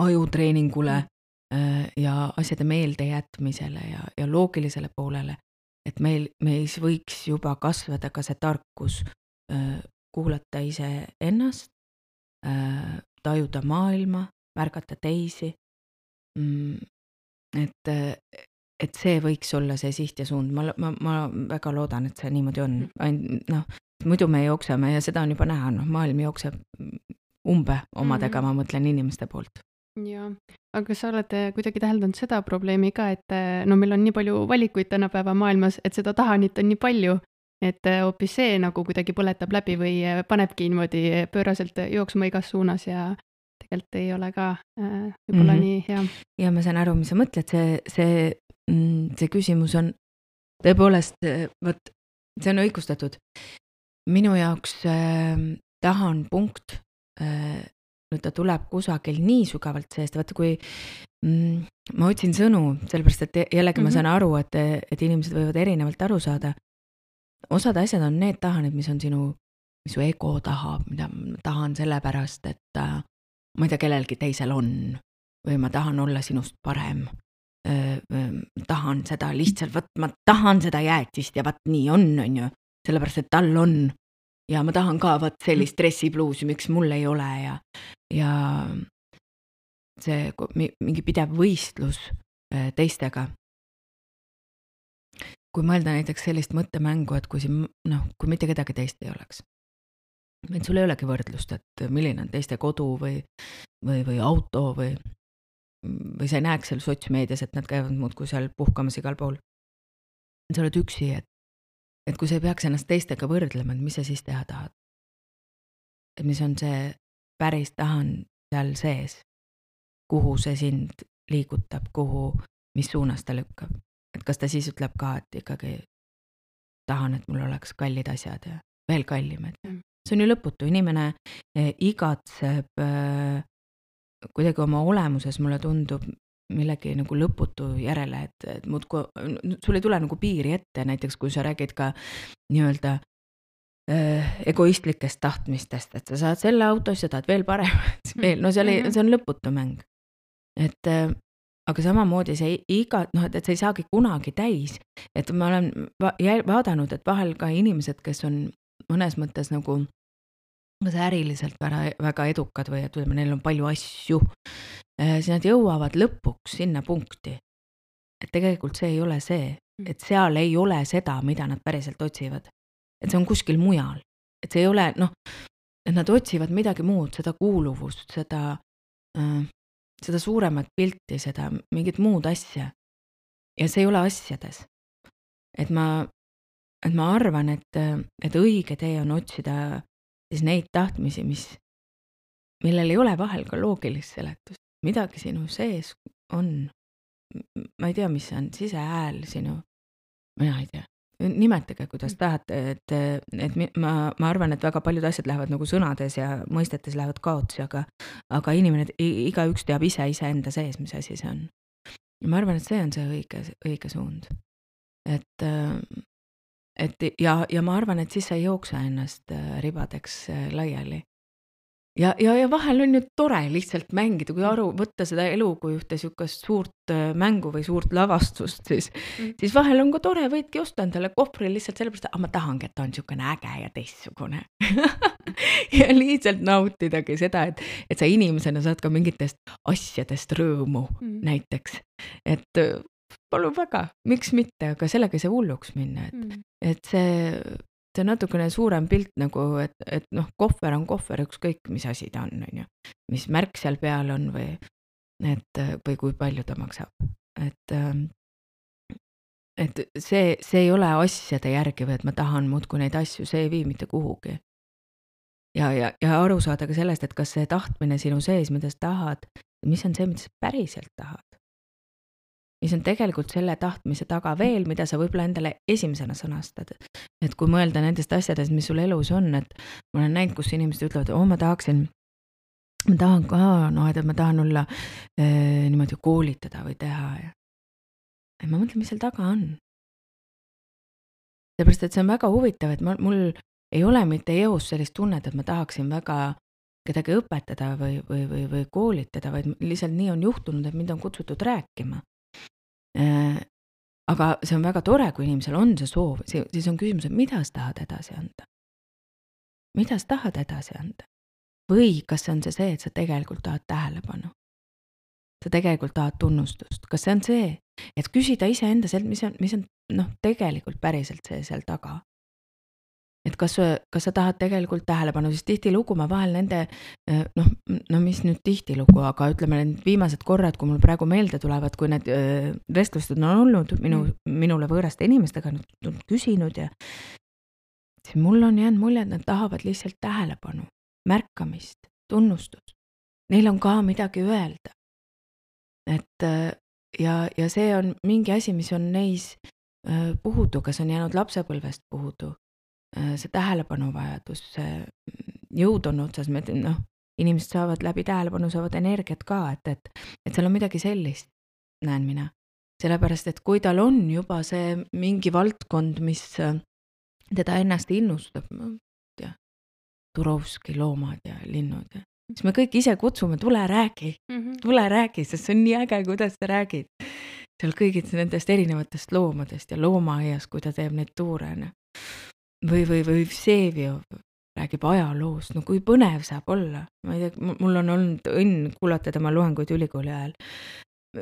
ajutreeningule äh, ja asjade meelde jätmisele ja, ja loogilisele poolele, et meil, meis võiks juba kasvada ka see tarkus äh, kuulata ise ennast, äh, tajuda maailma, märgata teisi, mm, et, et see võiks olla see siht ja suund, ma, ma, ma väga loodan, et see niimoodi on, Ain- noh, muidu me jookseme ja seda on juba näha, noh, maailm jookseb umbe omadega, mm-hmm. ma mõtlen inimeste poolt. Ja, aga kas sa oled kuidagi täheldanud seda probleemi ka, et no meil on nii palju valikuid tänapäeva maailmas, et seda tahanit on nii palju, et hoopis see nagu kuidagi põletab läbi või panebki niimoodi pööraselt jooksma igas suunas ja tegelikult ei ole ka äh, võib-olla mm-hmm. nii hea. Ja ma saan aru, mis sa mõtled, see, see, see küsimus on tõepoolest, võt, see on õigustatud. Minu jaoks äh, tahan punkt, äh, nüüd ta tuleb kusagil nii sügavalt seest, vaata kui mm, ma otsin sõnu, sellepärast et jällegi mm-hmm. ma saan aru, et, et inimesed võivad erinevalt aru saada. Osad asjad on need tahanid, mis on sinu, mis su ego tahab, mida ma tahan sellepärast, et äh, ma ei tea, kellelgi teisel on või ma tahan olla sinust parem. Öö, tahan seda lihtsalt, võt, ma tahan seda jäätist ja võt nii on, on ju, sellepärast, et tal on ja ma tahan ka võt sellist dressipluusi, miks mul ei ole ja, ja see mingi pidev võistlus teistega. Kui mõelda näiteks sellist mõttemängu, et kui, siin, noh, kui mitte kedagi teist ei oleks, et sul ei olegi võrdlust, et milline on teiste kodu või, või, või auto või või sa ei näeks seal sotsmeedias, et nad käivad muudkui seal puhkamas igal pool. Sa oled üksi, et, et kui sa ei peaks ennast teistega võrdlema, et mis sa siis teha tahad? Et mis on see päris tahan seal sees, kuhu see sind liigutab, kuhu, mis suunas ta lükkab. Et kas ta siis ütleb ka, et ikkagi tahan, et mul oleks kallid asjad ja veel kallimad. See on ju lõputu, inimene igatseb kuidagi oma olemuses mulle tundub millegi nagu lõputu järele, et, et muud, kui, sul ei tule nagu piiri ette, näiteks kui sa räägid ka nii-öelda äh, egoistlikest tahtmistest, et sa saad selle autos ja tahad veel paremat, veel, no see, oli, see on lõputu mäng. Et äh, aga samamoodi see iga, noh, et, et see ei saagi kunagi täis, et ma olen va- vaadanud, et vahel ka inimesed, kes on mõnes mõttes nagu kas äriliselt väga, väga edukad või et ütleme, neil on palju asju, siis nad jõuavad lõpuks sinna punkti. Et tegelikult see ei ole see, et seal ei ole seda, mida nad päriselt otsivad. Et see on kuskil mujal. Et see ei ole, noh, et nad otsivad midagi muud, seda kuuluvust, seda, äh, seda suuremat pilti, seda mingit muud asja. Ja see ei ole asjades. Et ma, et ma arvan, et, et õige tee on otsida siis neid tahtmisi, mis, millel ei ole vahel ka loogilist seletust. Midagi sinu sees on, ma ei tea, mis on sisehääl sinu, mina ei tea, nimetage, kuidas tahate, et, et ma, ma arvan, et väga paljud asjad lähevad nagu sõnades ja mõistetes lähevad kaotsi, aga, aga inimene, iga üks teab ise ise enda sees, mis asi see on. Ja ma arvan, et see on see õige, õige suund. Et Et ja, ja ma arvan, et siis sa ei jooksa ennast ribadeks laiali. ja, ja, ja vahel on ju tore lihtsalt mängida, kui aru võtta seda elu kui ühte sihukest suurt mängu või suurt lavastust, siis, mm. siis vahel on ka tore, võidki osta endale kohvri lihtsalt sellepärast, et ma tahangi, et ta on sihukene äge ja teistsugune. ja lihtsalt nautidagi seda, et, et sa inimesena saad ka mingitest asjadest rõõmu mm. näiteks, et palun väga, miks mitte, aga sellega ei saa hulluks minna, et, mm. et see see on natukene suurem pilt nagu, et, et noh, kohver on kohver, ükskõik mis asi ta on, on ju, mis märk seal peal on või, et, või kui palju ta maksab. Et, et see, see ei ole asjade järgi või, et ma tahan muudkui neid asju, see ei vii mitte kuhugi. Ja, ja, ja aru saada ka sellest, et kas see tahtmine sinu sees, mida sa tahad, mis on see, mida sa päriselt tahad. Mis on tegelikult selle tahtmise taga veel, mida sa võib-olla endale esimesena sõnastad. Et kui mõelda nendest asjadest, mis sul elus on, et ma olen näinud, kus inimesed ütlevad, oo, ma tahaksin, ma tahan ka, no, et ma tahan olla eh, niimoodi koolitada või teha. Ja, ja ma mõtlen, mis seal taga on. Seepärast, et see on väga huvitav, et ma, mul ei ole mitte eos sellist tunnet, et ma tahaksin väga kedagi õpetada või, või, või, või koolitada, vaid lihtsalt nii on juhtunud, et mind on kutsutud rääkima. Aga see on väga tore, kui inimesel on see soov, siis on küsimus, et mida sa tahad edasi anda? Mida sa tahad edasi anda? Või kas see on see see, et sa tegelikult tahad tähelepanu? Sa tegelikult tahad tunnustust? Kas see on see, et küsida ise enda sealt, mis on, mis on noh, tegelikult päriselt see seal taga? Et kas, kas sa tahad tegelikult tähelepanu, siis tihti lugu ma vahel nende, noh, no mis nüüd tihti lugu, aga ütleme need viimased korrad, kui mul praegu meelde tulevad, kui need vestlused on olnud minu, minule võõraste inimestega, nad on küsinud ja siis mul on jäänud mulje, et nad tahavad lihtsalt tähelepanu, märkamist, tunnustust. Neil on ka midagi öelda. Et ja, ja see on mingi asi, mis on neis puhudu, kas on jäänud lapsepõlvest puhudu. See tähelepanuvajadus, see jõud on otsas, noh, inimesed saavad läbi tähelepanu, saavad energiat ka, et, et, et seal on midagi sellist, näen mina. Sellepärast, et kui tal on juba see mingi valdkond, mis teda ennast innustab, ja, Turovski loomad ja linnud, ja, siis me kõik ise kutsume, tule räägi, tule räägi, sest see on nii äge, kuidas sa räägid. Seal kõigid nendest erinevatest loomadest ja loomaaias, kui ta teeb neid tuure, Või, või, või Vsevio räägib ajaloost, no kui põnev saab olla. Ma ei tea, mul on olnud õnn kuulata tema loenguid ülikooli ajal.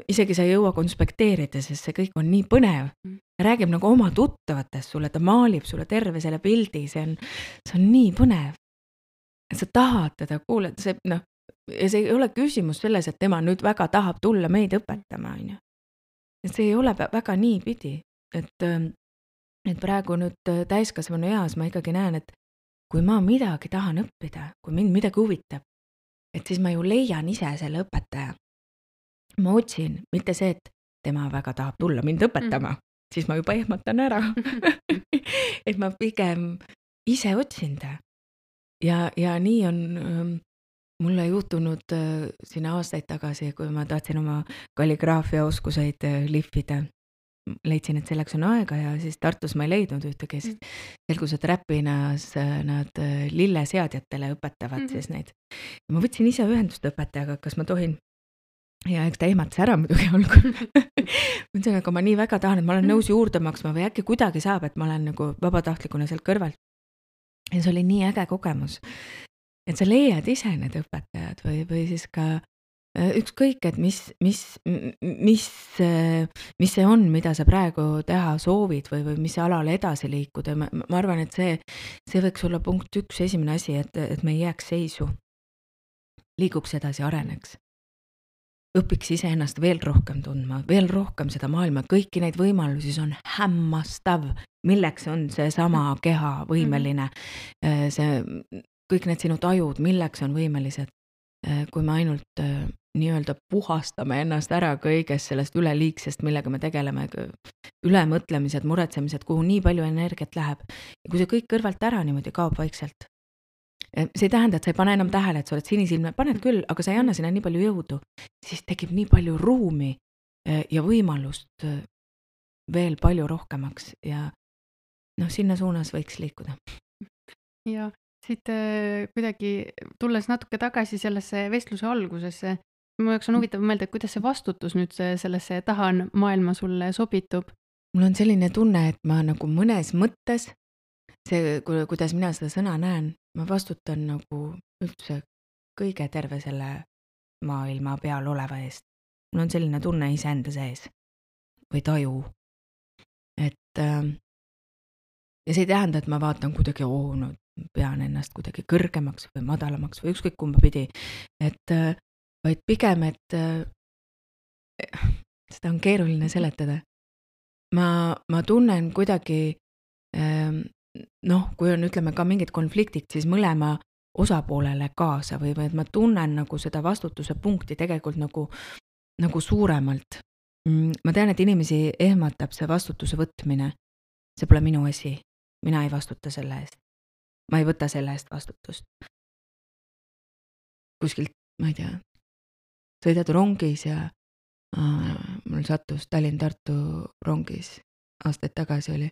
Isegi sa ei jõua konspekteerida, sest see kõik on nii põnev. Ta räägib nagu oma tuttavatest sulle, ta maalib sulle terve selle pildi, see on, see on nii põnev. Sa tahad teda kuulata, see, noh, ja see ei ole küsimus selles, et tema nüüd väga tahab tulla meid õpetama. See ei ole väga nii pidi, et et praegu nüüd täiskasvanu eas ma ikkagi näen, et kui ma midagi tahan õppida, kui mind midagi huvitab, et siis ma ju leian ise selle õpetaja. Ma otsin, mitte see, et tema väga tahab tulla mind õpetama, mm. siis ma juba ehmatan ära. et ma pigem ise otsin ta. Ja, ja nii on ähm, mulle juhtunud äh, sinna aastaid tagasi, kui ma tahtsin oma kalligraafia oskuseid äh, lihvida. Leidsin, et selleks on aega ja siis Tartus ma ei leidnud ühtegi, siis selgus, et Räpinas nad lilleseadjatele õpetavad mm-hmm. siis neid. Ja ma võtsin ise ühendust õpetajaga, kas ma tohin, ja eks ta ehmatas ära muidugi algul. Mõtlesin, aga ma nii väga tahan, et ma olen nõus juurde maksma või äkki kuidagi saab, et ma olen nagu vabatahtlikuna seal kõrval. Ja see oli nii äge kogemus, et sa leiad ise need õpetajad või, või siis ka ükskõik, et mis, mis, mis, mis see on, mida sa praegu teha soovid või, või mis alale edasi liikuda. Ma, ma arvan, et see, see võiks olla punkt üks, esimene asi, et, et me ei jääks seisu. Liiguks edasi, areneks. Õpiks ise ennast veel rohkem tundma, veel rohkem seda maailma. Kõiki neid võimalusi on hämmastav, milleks on see sama keha võimeline. See, kõik need sinu tajud, milleks on võimelised. Kui me ainult nii-öelda puhastame ennast ära kõigest sellest üleliigsest, millega me tegeleme, ülemõtlemised, muretsemised, kuhu nii palju energiat läheb. Ja kui see kõik kõrvalt ära niimoodi kaob vaikselt, see ei tähenda, et sa ei pane enam tähele, et sa oled sinisilme, paned küll, aga sa ei anna sinna nii palju jõudu, siis tekib nii palju ruumi ja võimalust veel palju rohkemaks ja noh, sinna suunas võiks liikuda. Ja Siit äh, kuidagi tulles natuke tagasi sellesse vestluse algusesse, mu jaoks on huvitav mõelda, et kuidas see vastutus nüüd see- sellesse tahan maailma sulle sobitub. mul on selline tunne, et ma nagu mõnes mõttes, see, ku- kuidas mina seda sõna näen, ma vastutan nagu üldse kõige terve selle maailma peal oleva eest. mul on selline tunne iseenda sees või taju. Et ähm, ja see ei tähenda, et ma vaatan kuidagi, oo, no pean ennast kuidagi kõrgemaks või madalamaks või ükskõik kumba pidi. Et äh, vaid pigem, et äh, seda on keeruline seletada. Ma, ma tunnen kuidagi, ähm, noh, kui on, ütleme, ka mingid konfliktid, siis mõlema osapoolele kaasa või, või et ma tunnen nagu seda vastutuse punkti tegelikult nagu, nagu suuremalt. Mm, Ma tean, et inimesi ehmatab see vastutuse võtmine. See pole minu asi. Mina ei vastuta selle eest. Ma ei võta selle eest vastutust. Kuskilt, ma ei tea, sõidad rongis ja äh, mul sattus Tallinn-Tartu rongis aastaid tagasi oli.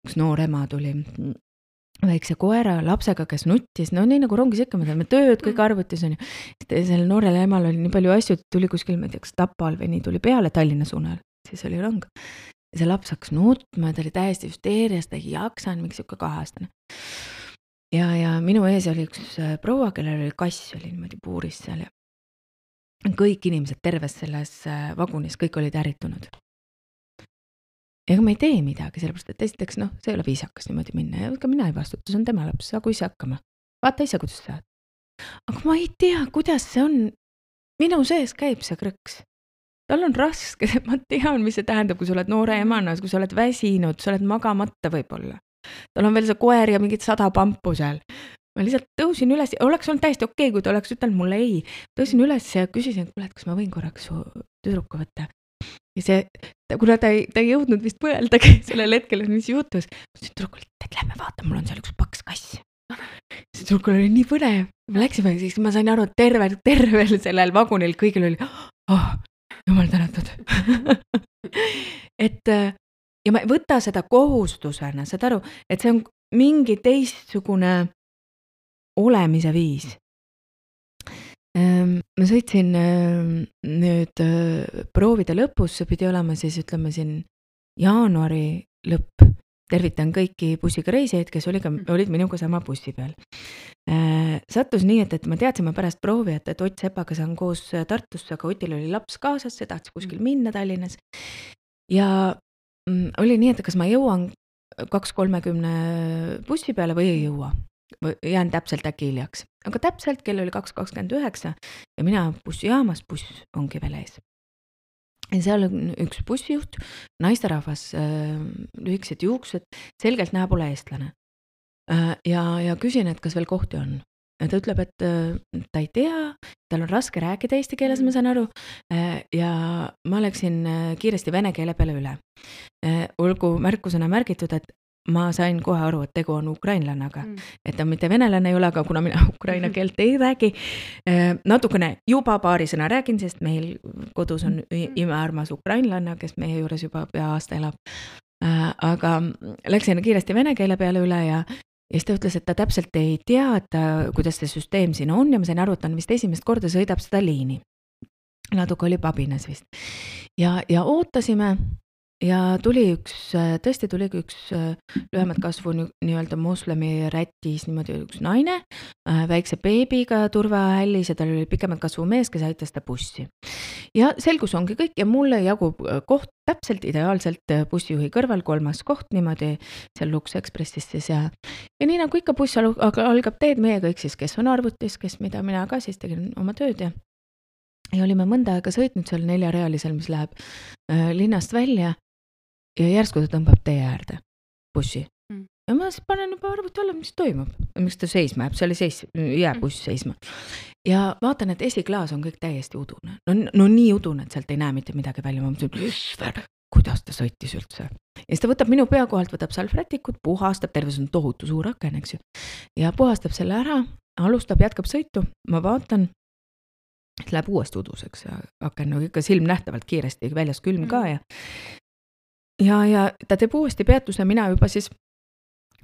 Üks noor ema tuli mm, väikse koera lapsega, kes nuttis, no nii nagu rongis ikka, me teeme tööd, kõik arvutis on ju. Sellel noorel emal oli nii palju asju, et tuli kuskil, ma ei tea, kas Tapal või nii tuli peale Tallinna suunal, siis oli rong. Ja see laps hakkas nutma, ta oli täiesti hüsteerias, ta ei jaksanud, mingi siuke kaheastane. Ja, ja minu ees oli üks äh, proua, kellel oli kass, oli niimoodi puuris seal ja kõik inimesed terves selles äh, vagunis, kõik olid ärritunud. Ega ma ei tee midagi, sellepärast, et esiteks, noh, see ei ole viisakas niimoodi minna ja ka mina ei vastuta, see on tema laps, saagu ise hakkama. Vaata ise, kuidas saad. Aga ma ei tea, kuidas see on. Minu sees käib see krõks. Tal on raske, ma tean, mis see tähendab, kui sa oled noore emana, kui sa oled väsinud, sa oled magamata võib-olla. Tal on veel see koer ja mingid sada pampu seal. Ma lihtsalt tõusin üles, oleks olnud täiesti okei, kui ta oleks ütelnud mulle ei. Tõusin üles ja küsisin, et kuule, et kas ma võin korraks su tüdruku võtta. Ja see, kuna ta ei, ta ei jõudnud vist mõeldagi sellel hetkel, mis juhtus, siis tüdrukul, et lähme vaata, mul on seal üks paks kass. See tüdrukul oli nii põnev. Me läksime, siis ma sain aru, et tervel, tervel sellel vagunil kõigil oli, oh, jumal tänatud. et ja ma ei võta seda kohustusena, saad aru, et see on mingi teistsugune olemise viis. Ma sõitsin nüüd proovide lõpus, see pidi olema siis, ütleme siin jaanuari lõpp. Tervitan kõiki bussiga reisijaid, kes olid, olid minuga sama bussi peal. Sattus nii, et, et ma teadsime pärast proovi, et, et Ott Sepaga saan koos Tartusse, aga Otil oli laps kaasas, see tahtis kuskil minna Tallinnas. Ja mm, oli nii, et kas ma jõuan kaks kolmekümne bussi peale või ei jõua. Jään täpselt äkki hiljaks. Aga täpselt kell oli kaks kakskümmend üheksa ja mina bussijaamas, buss ongi veel ees. Ja seal on üks bussijuht, naisterahvas, lühikesed juuksed, selgelt näeb ole eestlane. Ja, ja küsin, et kas veel kohti on. Ja ta ütleb, et ta ei tea, tal on raske rääkida eesti keeles, ma saan aru, ja ma läksin kiiresti vene keele peale üle. Olgu märkusena märgitud, et ma sain kohe aru, et tegu on ukrainlannaga, mm. et ta mitte venelane ei ole, aga kuna mina ukraina keelt ei räägi, natukene juba paari sõna räägin, sest meil kodus on imearmas ukrainlanna, kes meie juures juba pea aasta elab. Aga läksin kiiresti vene keele peale üle ja, ja siis ta ütles, et ta täpselt ei tea, et ta, kuidas see süsteem siin on ja ma sain aru, et ta on vist esimest korda sõidab seda liini. Natuke oli pabinas vist. Ja, ja ootasime ja tuli üks, tõesti tuli üks lühemat kasvu nii-öelda moslemi rätis niimoodi üks naine, väikse beebiga turvahällis ja tal oli pikemad kasvu mees, kes aitas ta bussi. Ja selgus ongi kõik ja mulle jagub koht täpselt ideaalselt bussijuhi kõrval, kolmas koht niimoodi seal Lux Expressis siis ja, ja nii nagu ikka buss algab teed meie kõik siis, kes on arvutis, kes mida mina ka siis tegin oma tööd ja ja olime mõnda aega sõitnud seal neljarealisel, mis läheb äh, linnast välja ja järsku ta tõmbab tee äärde bussi. Mm. Ja ma siis panen juba arvuti alla, mis toimub. Miks ta seisma jääb, see oli seis, jääb buss seisma. Ja vaatan, et esiklaas on kõik täiesti udune. No, no nii udune, et sealt ei näe mitte midagi välja. Ma mõtlesin, kuidas ta sõitis üldse. Ja siis ta võtab minu pea kohalt, võtab salvrätikut, puhastab, terve see on tohutu suur aken, eks ju. Ja puhastab selle ära, alustab, jätkab sõitu. Ma vaatan, et läheb uuesti uduseks ja aken no, ikka silm nähtavalt kiiresti, väljas külm ka ja Ja, ja ta teeb uuesti peatuse, mina juba siis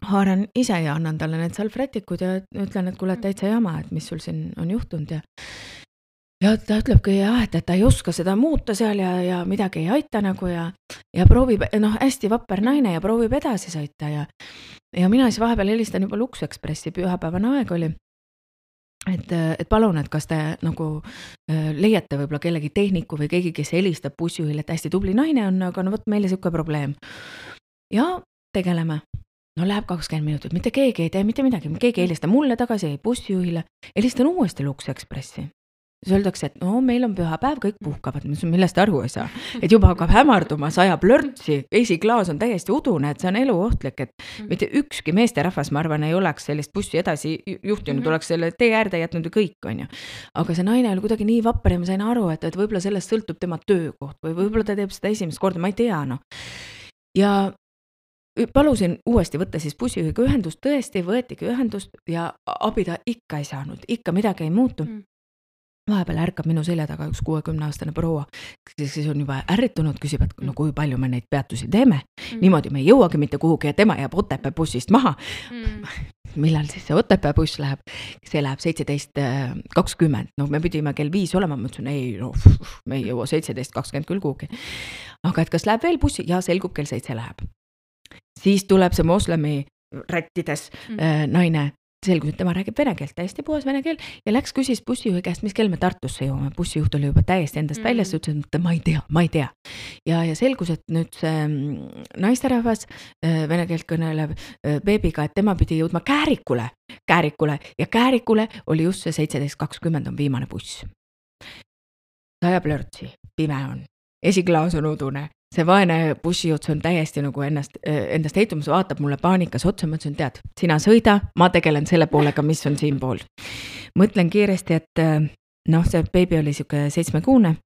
haaran ise ja annan talle need salvrätikud ja ütlen, et kuule, et täitsa jama, et mis sul siin on juhtunud ja ja ta ütlebki jah, et, et ta ei oska seda muuta seal ja, ja midagi ei aita nagu ja, ja proovib, noh, hästi vapper naine ja proovib edasi sõita ja, ja mina siis vahepeal helistan juba Lux Expressi, pühapäevane aeg oli, et, et palun, et kas te nagu leiate võib-olla kellegi tehniku või keegi, kes helistab bussijuhile, et hästi tubli naine on, aga no võt meile siuke probleem. Ja tegeleme. No läheb kakskümmend minutit, mitte keegi ei tee mitte midagi, keegi helista mulle tagasi, bussijuhile, helistan uuesti Lux Expressi. Siis öeldakse, et no meil on pühapäev, kõik puhkavad, millest aru ei saa. Et juba hakkab hämarduma, sajab lörtsi, esiklaas on täiesti udune, et see on eluohtlik, et mitte ükski meesterahvas, ma arvan, ei oleks sellist bussi edasi juhtinud, oleks selle tee äärde jätnud ja kõik on ju. Aga see naine oli kuidagi nii vapper ja ma sain aru, et, et võib-olla sellest sõltub tema töökoht või võib-olla ta teeb seda esimest korda, ma ei tea, no. Ja palusin uuesti võtta siis bussijuhiga ühendust, tõesti võetigi ühendust ja abi ta ikka ei saanud, ikka midagi ei muutu. Vahepeal ärkab minu selja taga üks kuuekümne aastane proua, kes on juba ärritunud, küsib, et no kui palju me neid peatusi teeme, mm. niimoodi me ei jõuagi mitte kuhugi ja tema jääb Otepää bussist maha. Mm. Millal siis see Otepää buss läheb? See läheb seitseteist kakskümmend, no me pidime kell viis olema, ma ütlesin, ei, no, me ei jõua seitseteist kakskümmend küll kuhugi. Aga et kas läheb veel bussi? Ja selgub kell seitse läheb. Siis tuleb see moslemi rättides mm. äh, naine, selgus, et tema räägib vene keelt, täiesti puhas vene keel ja läks küsis bussijuhi käest, mis kell me Tartusse jõuame. Bussijuht oli juba täiesti endast mm. väljas, ütles, et ma ei tea, ma ei tea. Ja, ja selgus, et nüüd see naisterahvas vene keelt kõnelev beebiga, et tema pidi jõudma Käärikule, Käärikule ja Käärikule oli just see seitseteist kakskümmend on viimane buss. Sajab lörtsi, pime on, esiklaas on udune. See vaene bussijuht on täiesti nagu ennast, endast heitumas, vaatab mulle paanikas otsa, ma ütlesin, tead, sina sõida, ma tegelen selle poolega, mis on siin pool. Mõtlen kiiresti, et noh, see beebi oli siuke seitsmekuune,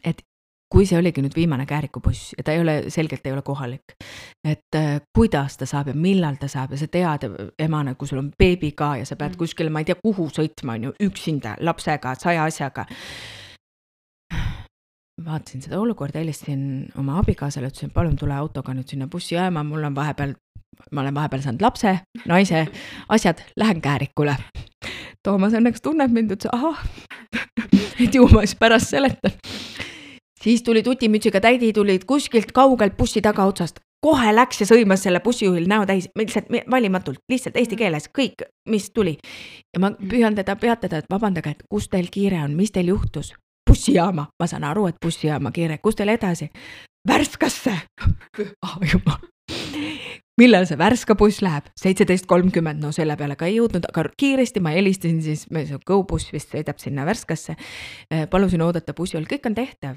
et kui see oligi nüüd viimane Käärikubuss ja ta ei ole, selgelt ei ole kohalik, et kuidas ta saab ja millal ta saab ja sa tead emana, kui sul on beebi ka ja sa pead kuskile, ma ei tea, kuhu sõitma, on ju, üksinda, lapsega, saja asjaga. Vaatasin seda olukorda, helistasin oma abikaasale, ütlesin, palun tule autoga nüüd sinna bussi jääma, mul on vahepeal, ma olen vahepeal saanud lapse, naise, asjad, lähen Käärikule. Toomas õnneks tunneb mind, ütles, aha, et ju ma siis pärast seletan. Siis tuli tutimütsiga täidi, tulid kuskilt kaugelt bussi taga otsast, kohe läks ja sõimas selle bussijuhil näo täis, lihtsalt valimatult, lihtsalt eesti keeles, kõik, mis tuli. Ja ma püüan teda peatada, et vabandage, et kus teil kiire on, mis teil juhtus? Bussijaama, ma saan aru, et bussijaama kiire, kus teil edasi? Värskasse! Oh, juba. Millal see Värska buss läheb? seitseteist kolmkümmend, no selle peale ka ei jõudnud, aga kiiresti ma helistasin siis, GoBuss vist sõidab sinna Värskasse, palusin oodata bussi, oli kõik on tehtav.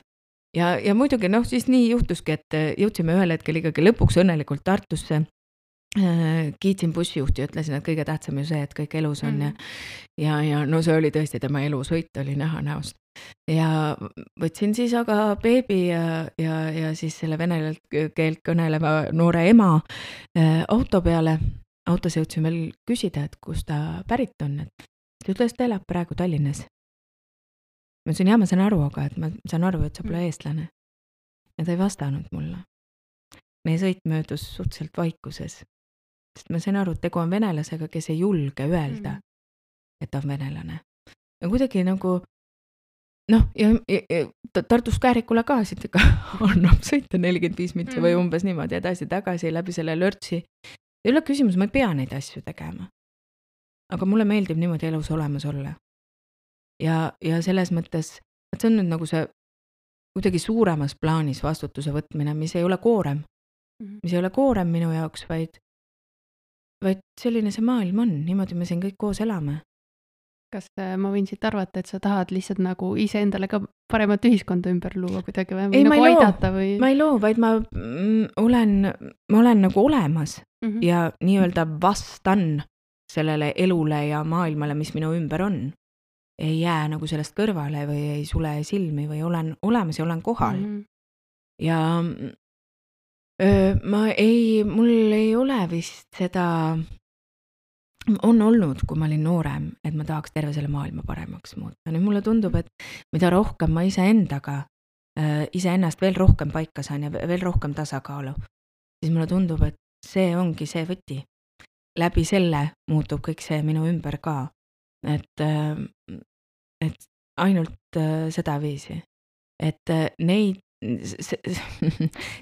Ja, ja muidugi, noh, siis nii juhtuski, et jõudsime ühel hetkel ikkagi lõpuks õnnelikult Tartusse, kiitsin bussijuhti ja ütlesin, et kõige tähtsam ju see, et kõik elus on ja, ja, ja no see oli tõesti tema elu sõit oli näha näost. Ja võtsin siis aga beebi ja, ja, ja siis selle vene keelt kõneleva noore ema auto peale. Autos jõudsin veel küsida, et kus ta pärit on. Et ta ütles, et ta elab praegu Tallinnas. Ma ütlesin, jah, ma saan aru, aga et ma saan aru, et sa pole eestlane. Ja ta ei vastanud mulle. Meie sõit möödus suhteliselt vaikuses. Sest ma sain aru, et tegu on venelasega, kes ei julge öelda, et ta on venelane. Ja kuidagi nagu noh, ja, ja, ja Tartus Käärikule ka siit ikka annab sõita nelikümmend viis mitsi või umbes niimoodi edasi-tagasi läbi selle lörtsi. Ei ole küsimus, ma ei pea neid asju tegema. Aga mulle meeldib niimoodi elus olemas olla. Ja, ja selles mõttes, et see on nüüd nagu see kuidagi suuremas plaanis vastutuse võtmine, mis ei ole koorem. Mis ei ole koorem minu jaoks, vaid, vaid selline see maailm on. Niimoodi me siin kõik koos elame. Kas ma võin siit arvata, et sa tahad lihtsalt nagu ise endale ka paremat ühiskonda ümber luua kuidagi või, või ei, nagu aidata või? Ma ei loo, vaid ma olen, ma olen nagu olemas mm -hmm. ja nii-öelda vastan sellele elule ja maailmale, mis minu ümber on. Ei jää nagu sellest kõrvale või ei sule silmi või olen olemas ja olen kohal. Mm -hmm. Ja öö, ma ei, mul ei ole vist seda... on olnud, kui ma olin noorem, et ma tahaks terve selle maailma paremaks muuta. Nüüd mulle tundub, et mida rohkem ma ise endaga, ise ennast veel rohkem paika saan ja veel rohkem tasakaalu, siis mulle tundub, et see ongi see võti. läbi selle muutub kõik see minu ümber ka. Et, et ainult sedaviisi, et neid,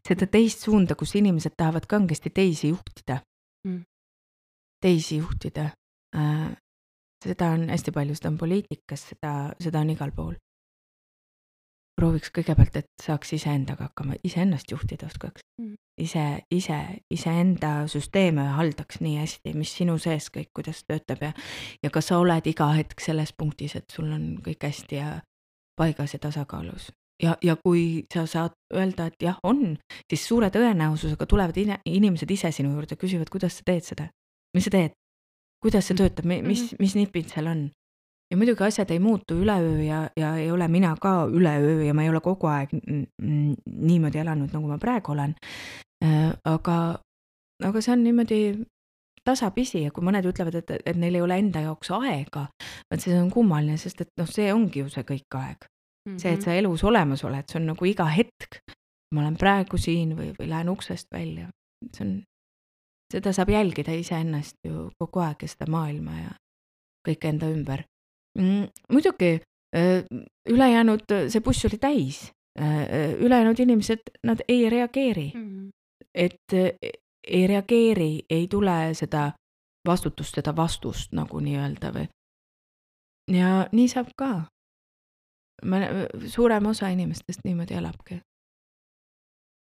seda teist suunda, kus inimesed tahavad kangesti teisi juhtida, mm. teisi juhtida, seda on hästi palju, seda on poliitikas, seda, seda on igal pool. Prooviks kõigepealt, et saaks iseendaga hakkama, iseennast juhtida oskaks. Mm. Ise, ise, iseenda süsteeme haldaks nii hästi, mis sinu sees kõik, kuidas töötab ja, ja kas sa oled iga hetk selles punktis, et sul on kõik hästi ja paigas ja tasakaalus. Ja, ja kui sa saad öelda, et jah, on, siis suure tõenäosusega tulevad inimesed ise sinu juurde, küsivad, kuidas sa teed seda, mis sa teed, kuidas see töötab, mis, mis nipid seal on. Ja muidugi asjad ei muutu üleöö ja, ja ei ole mina ka üleöö ja ma ei ole kogu aeg niimoodi elanud, nagu ma praegu olen. Aga, aga see on niimoodi tasapisi ja kui mõned ütlevad, et, et neil ei ole enda jaoks aega, et see on kummaline, sest et noh, see ongi ju see kõik aeg. Mm-hmm. See, et sa elus olemas oled, see on nagu iga hetk. Ma olen praegu siin või, või lähen uksest välja. See on, seda saab jälgida iseennast ju kogu aeg ja seda maailma ja kõik enda ümber. Mm, muidugi ülejäänud, see buss oli täis, ülejäänud inimesed, nad ei reageeri, mm-hmm. et ei reageeri, ei tule seda vastutust, seda vastust nagu nii öelda või. Ja nii saab ka. Ma, suurem osa inimestest niimoodi elabki.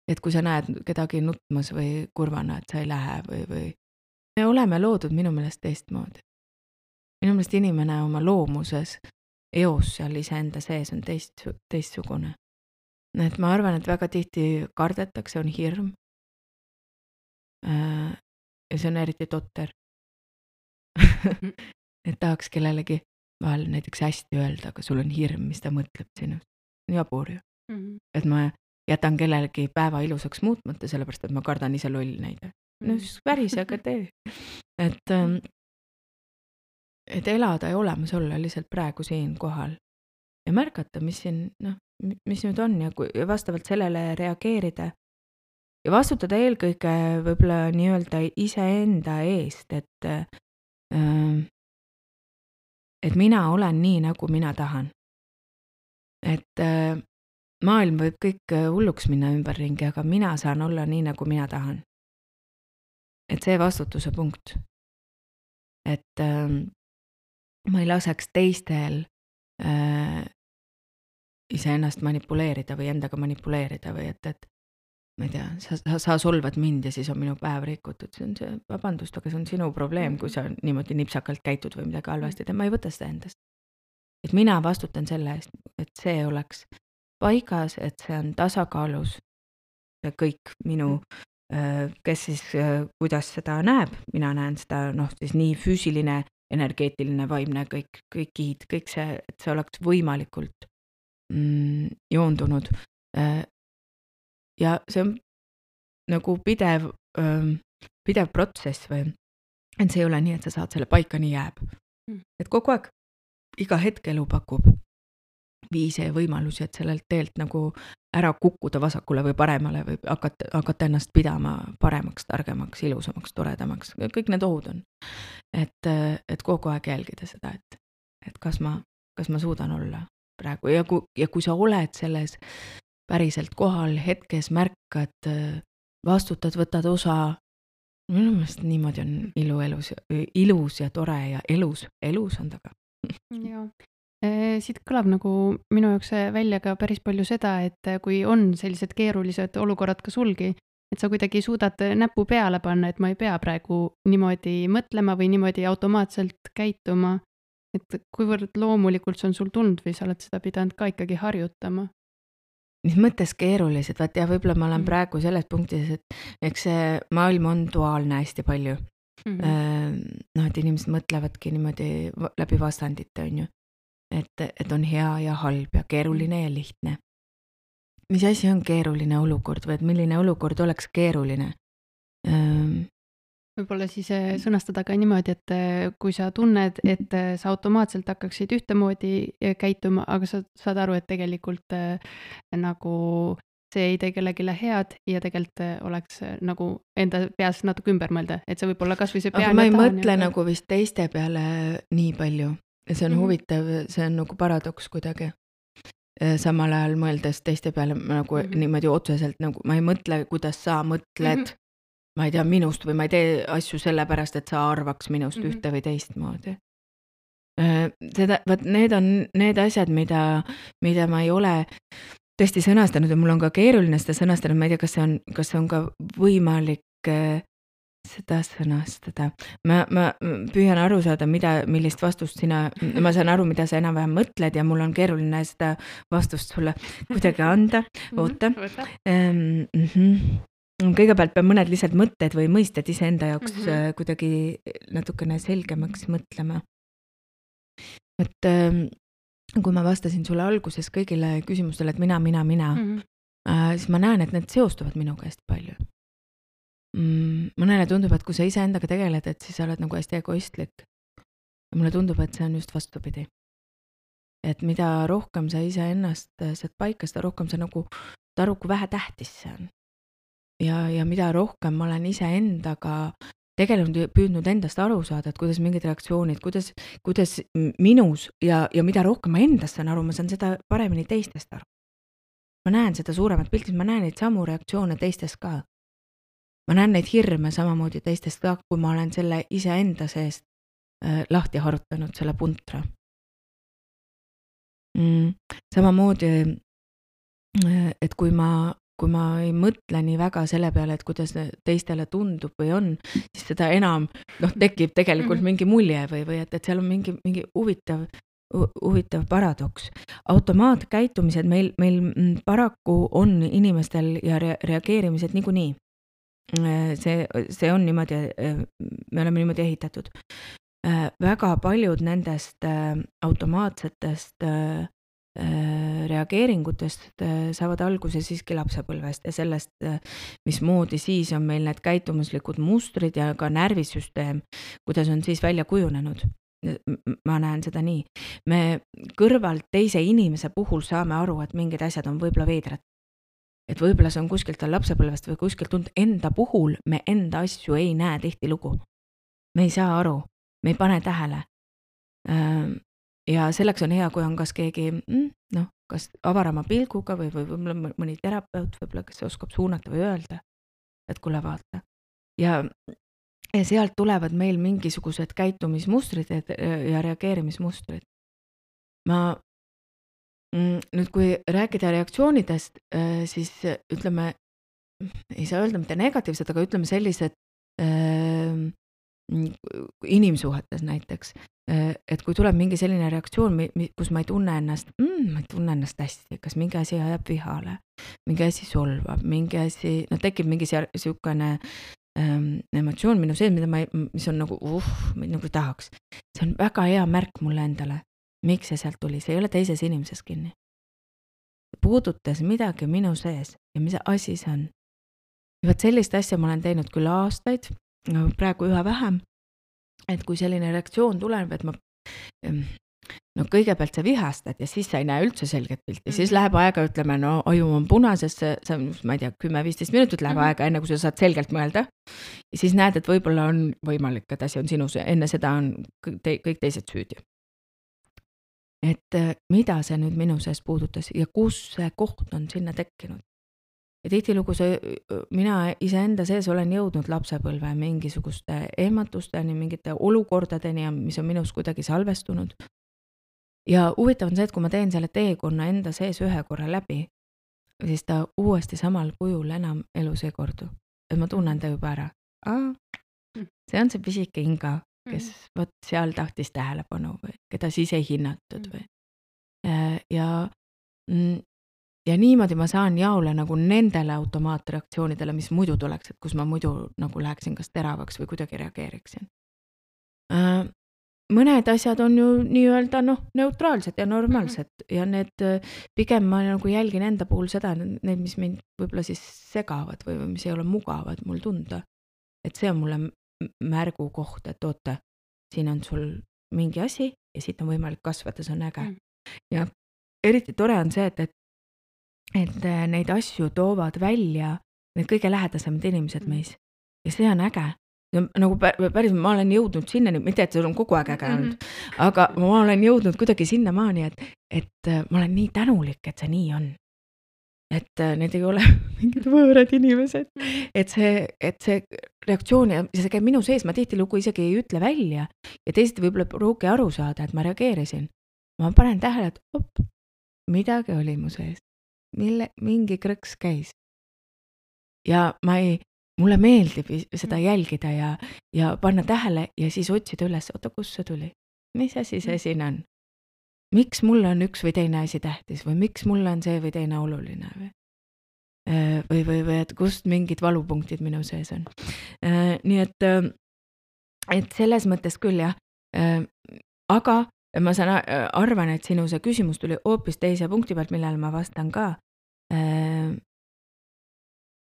Et kui sa näed kedagi nutmas või kurvana, et sa ei lähe või, või me oleme loodud minu meelest teistmoodi. Minu meelest inimene oma loomuses, eos seal iseenda sees on teist, teistsugune. Et ma arvan, et väga tihti kardetakse, on hirm. Ja see on eriti totter. Et tahaks kellelegi vahel näiteks hästi öelda, aga sul on hirm, mis ta mõtleb sinust. Jabur ju. Mm-hmm. Et ma jätan kellelegi päeva ilusaks muutmata, sellepärast, et ma kardan ise loll näide. No siis väris, aga tee. Et et elada ja olemas olla lihtsalt praegu siin kohal ja märgata, mis siin, noh, mis nüüd on ja, kui, ja vastavalt sellele reageerida ja vastutada eelkõige võib-olla nii-öelda iseenda eest, et et mina olen nii, nagu mina tahan. Et maailm võib kõik hulluks minna ümberringi, aga mina saan olla nii, nagu mina tahan. Et see vastutuse punkt. Et ma ei laseks teistel äh, iseennast manipuleerida või endaga manipuleerida või et, et ma ei tea, sa, sa, sa solvad mind ja siis on minu päev rikutud. See on see, vabandust, aga see on sinu probleem, kui sa niimoodi nipsakalt käitud või midagi halvasti, et ma ei võta seda endast. Et mina vastutan selle eest, et see oleks paigas, et see on tasakaalus ja kõik minu, äh, kes siis, äh, kuidas seda näeb, mina näen seda, noh, siis nii füüsiline energeetiline, vaimne, kõik, kõik kihid, kõik see, et see oleks võimalikult mm, joondunud. Ja see on nagu pidev, pidev protsess või, et see ei ole nii, et sa saad selle paika, nii jääb. Mm. Et kogu aeg, iga hetk elu pakub viise ja võimalusi, et sellelt teelt nagu ära kukkuda vasakule või paremale või hakata, hakata ennast pidama paremaks, targemaks, ilusamaks, toredamaks. Kõik need ohud on. Et, et kogu aeg jälgida seda, et, et kas ma, kas ma suudan olla praegu. Ja kui, ja kui sa oled selles päriselt kohal, hetkes märkad, vastutad, võtad osa, minu meelest niimoodi on ilu elus, ilus ja tore ja elus, elus on taga. Joo. Siit kõlab nagu minu jaoks välja ka päris palju seda, et kui on sellised keerulised olukorrad ka sulgi, et sa kuidagi suudad näpu peale panna, et ma ei pea praegu niimoodi mõtlema või niimoodi automaatselt käituma, et kuivõrd loomulikult see on sul tund või sa oled seda pidanud ka ikkagi harjutama? Mis mõttes keerulised, vaat ja võib-olla ma olen mm. praegu selles punktis, et eks see maailm on duaalne hästi palju. Mm-hmm. Noh, et inimesed mõtlevadki niimoodi läbi vastandite, on ju. Et, et on hea ja halb ja keeruline ja lihtne. Mis asi on keeruline olukord või et milline olukord oleks keeruline? Ähm... Võib-olla siis sõnastada ka niimoodi, et kui sa tunned, et sa automaatselt hakkaksid ühtemoodi käituma, aga sa saad aru, et tegelikult nagu see ei tee kellelegi head ja tegelikult äh, oleks äh, nagu enda peas natuke ümber mõelda, et see võib olla kas või see aga pean ma ja ei tahan. mõtle nagu vist teiste peale nii palju ja see on Mhm. huvitav, see on nagu paradoks kuidagi. Äh, Samal ajal mõeldes teiste peale ma nagu Mhm. niimoodi otseselt nagu ma ei mõtle, kuidas sa mõtled, Mhm. ma ei tea, minust või ma ei tee asju sellepärast, et sa arvaks minust Mhm. ühte või teistmoodi. Äh, Seda, vaat need on need asjad, mida, mida ma ei ole tõesti sõnastanud ja mul on ka keeruline seda sõnastada, ma ei tea, kas see on, kas see on ka võimalik äh, seda sõnastada. Ma, ma püüan aru saada, mida, millist vastust sina, ma saan aru, mida sa enam-vähem mõtled ja mul on keeruline seda vastust sulle kuidagi anda. Oota. Võta. Ähm, mhm. Kõigepealt pean mõned lihtsalt mõtted või mõisted iseenda jaoks Mhm. äh, kuidagi natukene selgemaks mõtlema. Et ähm, kui ma vastasin sulle alguses kõigile küsimustele, et mina, mina, mina, Mhm. äh, siis ma näen, et need seostuvad minuga hästi palju. Mm, mõnele tundub, et kui sa iseendaga tegeled, et siis sa oled nagu hästi egoistlik. Ja mulle tundub, et see on just vastupidi. Et mida rohkem sa iseennast saad paika, seda rohkem sa nagu saad aru, kui vähe tähtis see on. Ja, ja mida rohkem ma olen iseendaga tegelenud ja püüdnud endast aru saada, et kuidas mingid reaktsioonid, kuidas, kuidas minus ja, ja mida rohkem ma endast saan aru, ma saan seda paremini teistest aru. Ma näen seda suuremat pilti, ma näen neid samu reaktsioone teistes ka. Ma näen neid hirme samamoodi teistest ka, kui ma olen selle iseenda seest äh, lahti harutanud, selle puntra. Mm, samamoodi, äh, et kui ma, kui ma ei mõtle nii väga selle peale, et kuidas teistele tundub või on, siis seda enam noh, tekib tegelikult mingi mulje või, või et, et seal on mingi, mingi huvitav, huvitav paradoks. Automaatkäitumised meil, meil paraku on inimestel ja re- reageerimised niikuinii. See, see on niimoodi, me oleme niimoodi ehitatud. Väga paljud nendest automaatsetest reageeringutest saavad alguse siiski lapsepõlvest ja sellest, mismoodi siis on meil need käitumuslikud mustrid ja ka närvisüsteem, kuidas on siis välja kujunenud. Ma näen seda nii. Me kõrvalt teise inimese puhul saame aru, et mingid asjad on võib-olla veidrad. Et võib-olla see on kuskilt tal lapsepõlvest või kuskilt tund enda puhul me enda asju ei näe tihti lugu. Me ei saa aru, me ei pane tähele. Ja selleks on hea, kui on kas keegi, noh, kas avarama pilguga või, või võib-olla mõni terapeut, võib-olla, kes oskab suunata või öelda, et kuule vaata. Ja, ja sealt tulevad meil mingisugused käitumismustrid ja reageerimismustrid. Ma nüüd, kui rääkida reaktsioonidest, siis ütleme, ei saa öelda mitte negatiivsed, aga ütleme sellised äh, inimsuhetes näiteks, et kui tuleb mingi selline reaktsioon, kus ma ei tunne ennast, mm, ma ei tunne ennast hästi, kas mingi asi ajab vihale, mingi asi solvab, mingi asi, no tekib mingi siukene ähm, emotsioon minu sees, mida ma ei, mis on nagu, uh, nagu tahaks. See on väga hea märk mulle endale. Miks see sealt tuli? See ei ole teises inimeses kinni. Puudutas midagi minu sees ja mis asi see on. Ja võt sellist asja ma olen teinud küll aastaid, praegu üha vähem, et kui selline reaktsioon tuleb, et ma no kõigepealt sa vihastad ja siis sa ei näe üldse selget pilti, mm-hmm. siis läheb aega, ütleme, no aju on punases, see, ma ei tea, kümme viisteist minutit läheb mm-hmm. aega, enne kui sa saad selgelt mõelda. Ja siis näed, et võib-olla on võimalik, et asi on sinus, enne seda on kõik, kõik teised süüdi. Et mida see nüüd minu sees puudutas ja kus see koht on sinna tekkinud. Ja tihtilugu see, mina iseenda sees olen jõudnud lapsepõlve mingisuguste ehmatusteni, mingite olukordadeni, mis on minus kuidagi salvestunud. Ja huvitav on see, et kui ma teen selle teekonna enda sees ühe korra läbi, siis ta uuesti samal kujul enam elus ei kordu. Et ma tunnen ta juba ära. Aa, see on see pisike Inga, kes võt seal tahtis tähelepanu või keda siis ei hinnatud või. Ja, ja niimoodi ma saan jaole nagu nendele automaatreaktsioonidele, mis muidu tuleks, et kus ma muidu nagu läheksin kas teravaks või kuidagi reageeriksin. Mõned asjad on ju nii-öelda noh, neutraalsed ja normaalsed mm-hmm. ja need pigem ma nagu jälgin enda puhul seda, need, mis mind võib-olla siis segavad või mis ei ole mugavad mul tunda. Et see on mulle märgu koht, et oota, siin on sul mingi asi ja siit on võimalik kasvata, see on äge. Mm. Ja eriti tore on see, et, et et äh, neid asju toovad välja need kõige lähedasemad inimesed Mhm. meis. Ja see on äge. Ja nagu pä- päris, ma olen jõudnud sinnani, mitte et see on kogu aeg äge olnud, aga ma olen jõudnud kuidagi sinnamaani, et, et äh, ma olen nii tänulik, et see nii on. Et äh, need ei ole mingid võõrad inimesed. Et see, et see reaktsioon ja see käib minu sees, ma tihtilugu isegi ei ütle välja ja teised võib-olla ei pruugi aru saada, et ma reageerisin. Ma panen tähele, et op, midagi oli mu sees, mille mingi krõks käis. Ja ma ei, mulle meeldib is- seda jälgida ja, ja panna tähele ja siis otsida üles, oota, kus see tuli? Mis asi see siin on? Miks mulle on üks või teine asi tähtis või miks mulle on see või teine oluline või? Äh, Või, või, või et kust mingid valupunktid minu sees on. Äh, Nii et, äh, et selles mõttes küll jah. Äh, Aga ma saan, a- arvan, et sinu see küsimus tuli hoopis teise punkti pealt, millele ma vastan ka. Äh,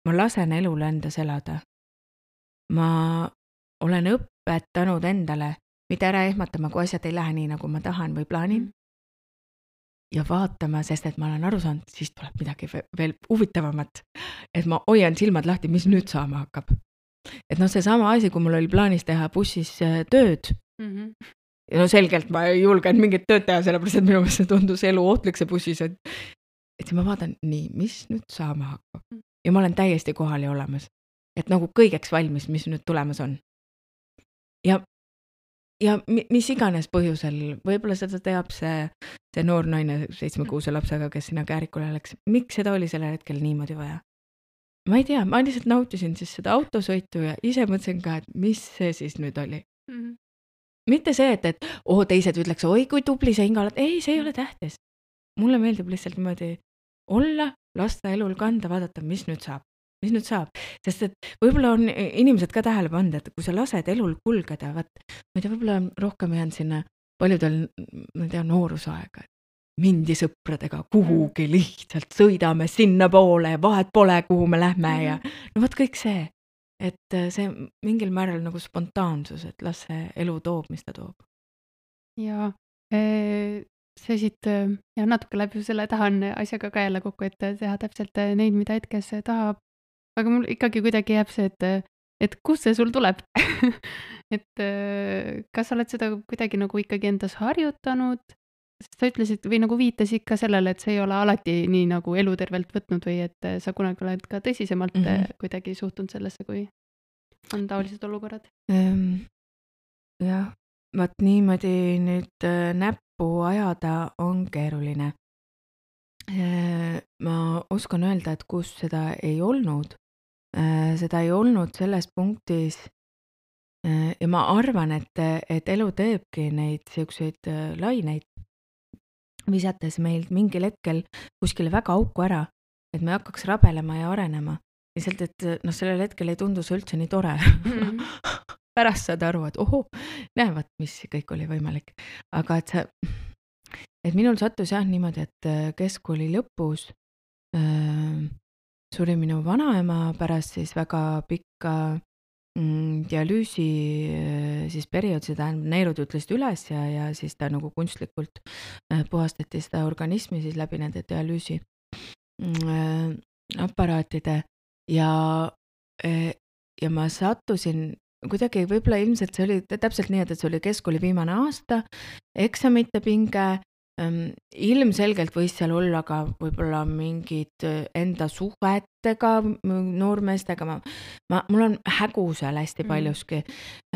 Ma lasen elul endas elada. Ma olen õpetanud endale, mitte ära ehmatama, kui asjad ei lähe nii, nagu ma tahan või plaanin. Ja vaatama, sest et ma olen aru saanud, siis tuleb midagi ve- veel huvitavamat. Et ma hoian silmad lahti, mis nüüd saama hakkab. Et noh, see sama asi, kui mul oli plaanis teha bussis äh, tööd. Mhm. Ja no selgelt ma ei julgenud mingit tööd teha, sellepärast et minu meelest see tundus elu ohtlik see bussis. Et, et siis ma vaatan, nii, mis nüüd saama hakkab. Ja ma olen täiesti kohal ja olemas. Et nagu kõigeks valmis, mis nüüd tulemas on. Ja, ja mi- mis iganes põhjusel, võib-olla seda teab see, see noor naine seitsmekuuse lapsega, kes sinna käärikule läks. Miks seda oli sellel hetkel niimoodi vaja? Ma ei tea, ma lihtsalt nautisin siis seda autosõitu ja ise mõtlesin ka, et mis see siis nüüd oli. Mhm. Mitte see, et, et oh, teised ütleks, oi kui tubli sa Inga oled. Ei, see ei ole tähtis. Mulle meeldib lihtsalt niimoodi olla, lasta elul kanda, vaadata, mis nüüd saab. Mis nüüd saab. Sest et võib-olla on inimesed ka tähele pannud, et kui sa lased elul kulgeda, vaat, ma ei tea, võib-olla on rohkem jäänud sinna paljudel, ma ei tea, noorusaega. Mindi sõpradega kuhugi lihtsalt, sõidame sinna poole, vahet pole, kuhu me lähme ja no vot kõik see. Et see mingil määral nagu spontaansus, et las see elu toob, mis ta toob. Ja eh, see siit eh, ja natuke läbi selle tahan asjaga ka jälle kokku, et teha täpselt eh, neid, mida hetkes tahab. Aga mul ikkagi kuidagi jääb see, et, eh, et kust see sul tuleb? et eh, kas sa oled seda kuidagi nagu ikkagi endas harjutanud? Sest sa ütlesid või nagu viitasid ka sellele, et see ei ole alati nii nagu elutervelt võtnud või et eh, sa kunagi oled ka tõsisemalt mm Mhm. -hmm. kuidagi suhtunud sellesse, kui on taolised olukorrad. Ehm, jah, vaat niimoodi nüüd äh, näppu ajada on keeruline. Äh, Ma oskan öelda, et kus seda ei olnud. Äh, Seda ei olnud selles punktis. Äh, Ja ma arvan, et, et elu teebki neid siukseid äh, laineid, visates meilt mingil hetkel kuskile väga auku ära, et me hakkaks rabelema ja arenema. Lihtsalt, et noh, sellel hetkel ei tundu see üldse nii tore. Mhm. Pärast saad aru, et oho, näevad, mis kõik oli võimalik. Aga et see, et minul sattus jah niimoodi, et äh, keskkooli lõpus äh, suri minu vanaema pärast siis väga pikka mm, dialüüsi äh, siis periood, see tähendab, neerud ütlesid üles ja, ja siis ta nagu kunstlikult äh, puhastati seda organismi siis läbi nende dialüüsi mm, äh, aparaatide ja, äh, ja ma sattusin kuidagi, võib-olla ilmselt see oli täpselt nii, et see oli keskkooli viimane aasta, eksamite pinge, ähm, ilmselgelt võis seal olla ka võib-olla mingid enda suhetega noormeestega, ma, ma, mul on hägu seal hästi paljuski.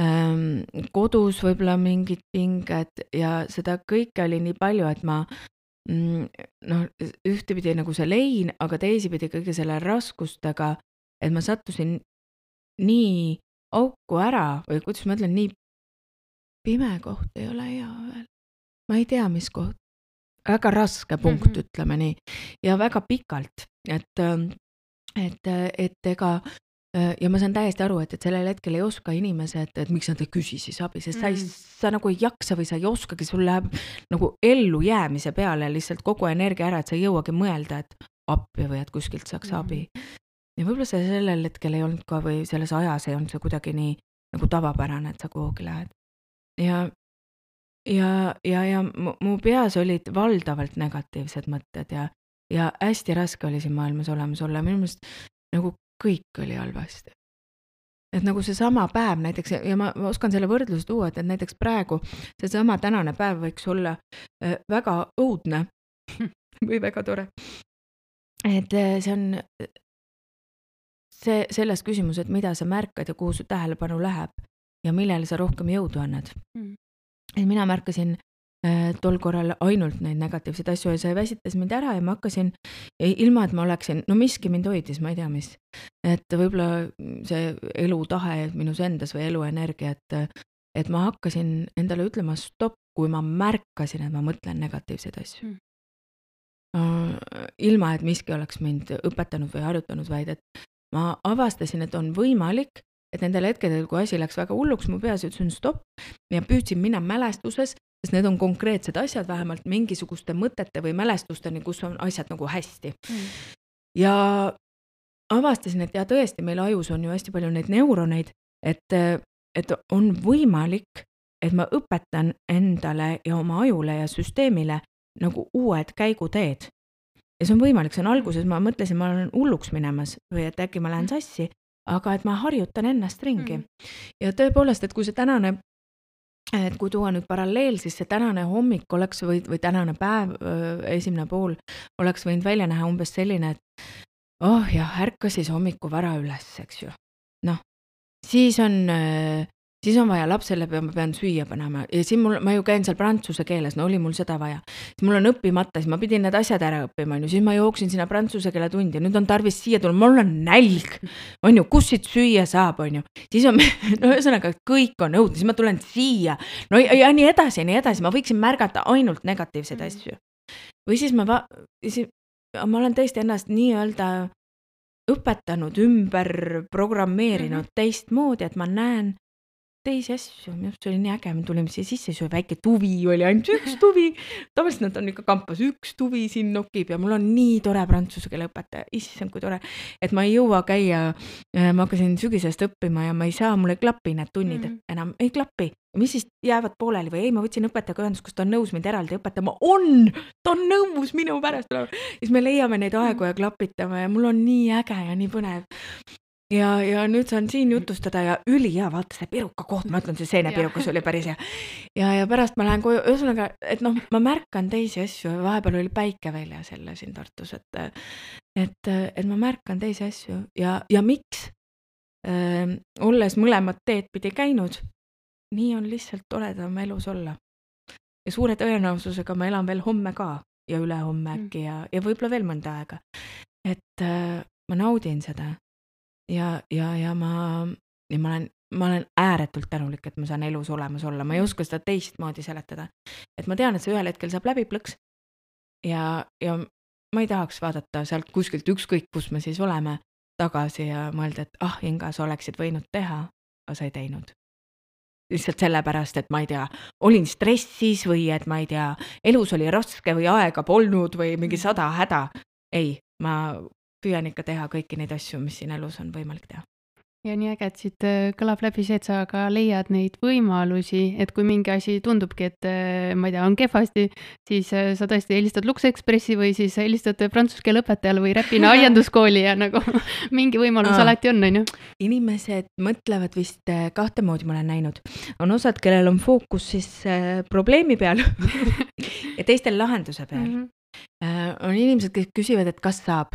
Ähm, kodus võib-olla mingid pinged ja seda kõike oli nii palju, et ma mm, noh, ühtepidi nagu see lein, aga teisipidi kõige selle raskustega, et ma sattusin nii auku ära või kuidas ma ütlen, nii pime koht ei ole hea veel. Ma ei tea, mis koht. Väga raske punkt, mm -hmm. ütleme nii. Ja väga pikalt, et, et, et ega ja ma saan täiesti aru, et, et sellel hetkel ei oska inimesed, et miks nad ei küsi siis abi, sest mm -hmm. sa, ei, sa nagu ei jaksa või sa ei oskagi, sul läheb nagu ellu jäämise peale lihtsalt kogu energia ära, et sa ei jõuagi mõelda, et appi või et kuskilt saaks mm -hmm. abi. Ja võib-olla see sellel hetkel ei olnud ka või selles ajas ei olnud see kuidagi nii nagu tavapärane, et sa kuhugi lähed. Ja, ja, ja, ja mu, mu peas olid valdavalt negatiivsed mõtted ja, ja hästi raske oli siin maailmas olemas olla, minu meelest nagu kõik oli halvasti. Et nagu see sama päev näiteks, ja ma, ma oskan selle võrdluse tuua, et, et näiteks praegu see sama tänane päev võiks olla äh, väga õudne või väga tore. Et äh, see on see, selles küsimus, et mida sa märkad ja kuhu su tähelepanu läheb ja millele sa rohkem jõudu annad. Mm. Et mina märkasin äh, tol korral ainult neid negatiivseid asju ja see väsitas mind ära ja ma hakkasin, ilma et ma oleksin, no miski mind hoidis, ma ei tea mis, et võib-olla see elutahe minus endas või eluenergia, et, et ma hakkasin endale ütlema stopp, kui ma märkasin, et ma mõtlen negatiivseid asju. Mm. Ilma, et miski oleks mind õpetanud või harjutanud, vaid et ma avastasin, et on võimalik, et nendel hetkedel, kui asi läks väga hulluks, mu peas ütlesin stopp ja püüdsin minna mälestuses, sest need on konkreetsed asjad, vähemalt mingisuguste mõtete või mälestusteni, kus on asjad nagu hästi. Mm. Ja avastasin, et ja tõesti, meil ajus on ju hästi palju neid neuroneid, et, et on võimalik, et ma õpetan endale ja oma ajule ja süsteemile nagu uued käiguteed. Ja see on võimalik, see on alguses, ma mõtlesin, ma olen hulluks minemas või et äkki ma lähen sassi, aga et ma harjutan ennast ringi. Mm. Ja tõepoolest, et kui see tänane, et kui tuua nüüd paralleel, siis see tänane hommik oleks või, või tänane päev, esimene pool, oleks võinud välja näha umbes selline, et oh jah, ärka siis hommiku vara üles, eks ju. Noh, siis on... siis on vaja lapsele, ma pean süüa panema ja siin mul, ma ju käin seal prantsuse keeles, no oli mul seda vaja. Siis mul on õppimata, siis ma pidin need asjad ära õppima, siis ma jooksin sinna prantsuse keele tundi ja nüüd on tarvis siia tulla, mul on nälg, on ju, kus siit süüa saab, on ju. Siis on, no ühesõnaga, kõik on õudne, siis ma tulen siia, no ja, ja nii edasi, nii edasi, ma võiksin märgata ainult negatiivseid mm. asju. Või siis ma, va, siis, ma olen tõesti ennast nii-öelda õpetanud, ümber programmeerinud mm-hmm. teistmoodi, et ma näen teisi asju, minu see oli nii äge, me tulime siia sisse, see väike tuvi oli ainult üks tuvi, tavaliselt nad on ikka kampas, üks tuvi siin nokib ja mul on nii tore prantsuse keele õpetaja, issand kui tore, et ma ei jõua käia, ma hakkasin sügisest õppima ja ma ei saa, mul ei klapi need tunnid mm-hmm. enam, ei klapi, mis siis jäävad pooleli või ei, ma võtsin õpetajaga ühendus, kus ta on nõus mind eraldi õpetama, on, ta on nõus minu pärast, siis me leiame neid aegu ja klapitame ja mul on nii äge ja nii põnev. Ja, ja nüüd saan siin jutustada ja üli hea, vaata see piruka koht, ma ütlen, see seenepirukas oli päris hea. Ja, ja pärast ma lähen koju, ühesõnaga, et noh, ma märkan teisi asju, vahepeal oli päike välja selle siin Tartus, et, et, et ma märkan teisi asju ja, ja miks, äh, olles mõlemad teed pidi käinud, nii on lihtsalt toredam elus olla. Ja suure tõenäosusega ma elan veel homme ka ja ülehomme äkki ja, ja võib-olla veel mõnda aega. Et äh, ma naudin seda. Ja, ja, ja ma, ja ma olen, ma olen ääretult tänulik, et ma saan elus olemas olla. Ma ei oska seda teistmoodi seletada. Et ma tean, et see ühel hetkel saab läbi plõks. Ja, ja ma ei tahaks vaadata sealt kuskilt ükskõik, kus me siis oleme tagasi ja mõelda, et ah, Inga, sa oleksid võinud teha, aga sa ei teinud. Lihtsalt sellepärast, et ma ei tea, olin stressis või et ma ei tea, elus oli raske või aega polnud või mingi sada häda. Ei, ma püüan ikka teha kõiki neid asju, mis siin elus on võimalik teha. Ja nii äge, et siit kõlab läbi see, et sa ka leiad neid võimalusi, et kui mingi asi tundubki, et ma ei tea, on kehvasti, siis sa tõesti helistad Lux Expressi või siis helistad prantsuse keele õpetajale või Räpina aianduskooli ja nagu mingi võimalus Aa. alati on, on ju? Inimesed mõtlevad vist kahte moodi, ma olen näinud. On osad, kellel on fookus siis probleemi peal ja teistel lahenduse peal. Mm-hmm. On inimesed, kes küsivad, et kas saab.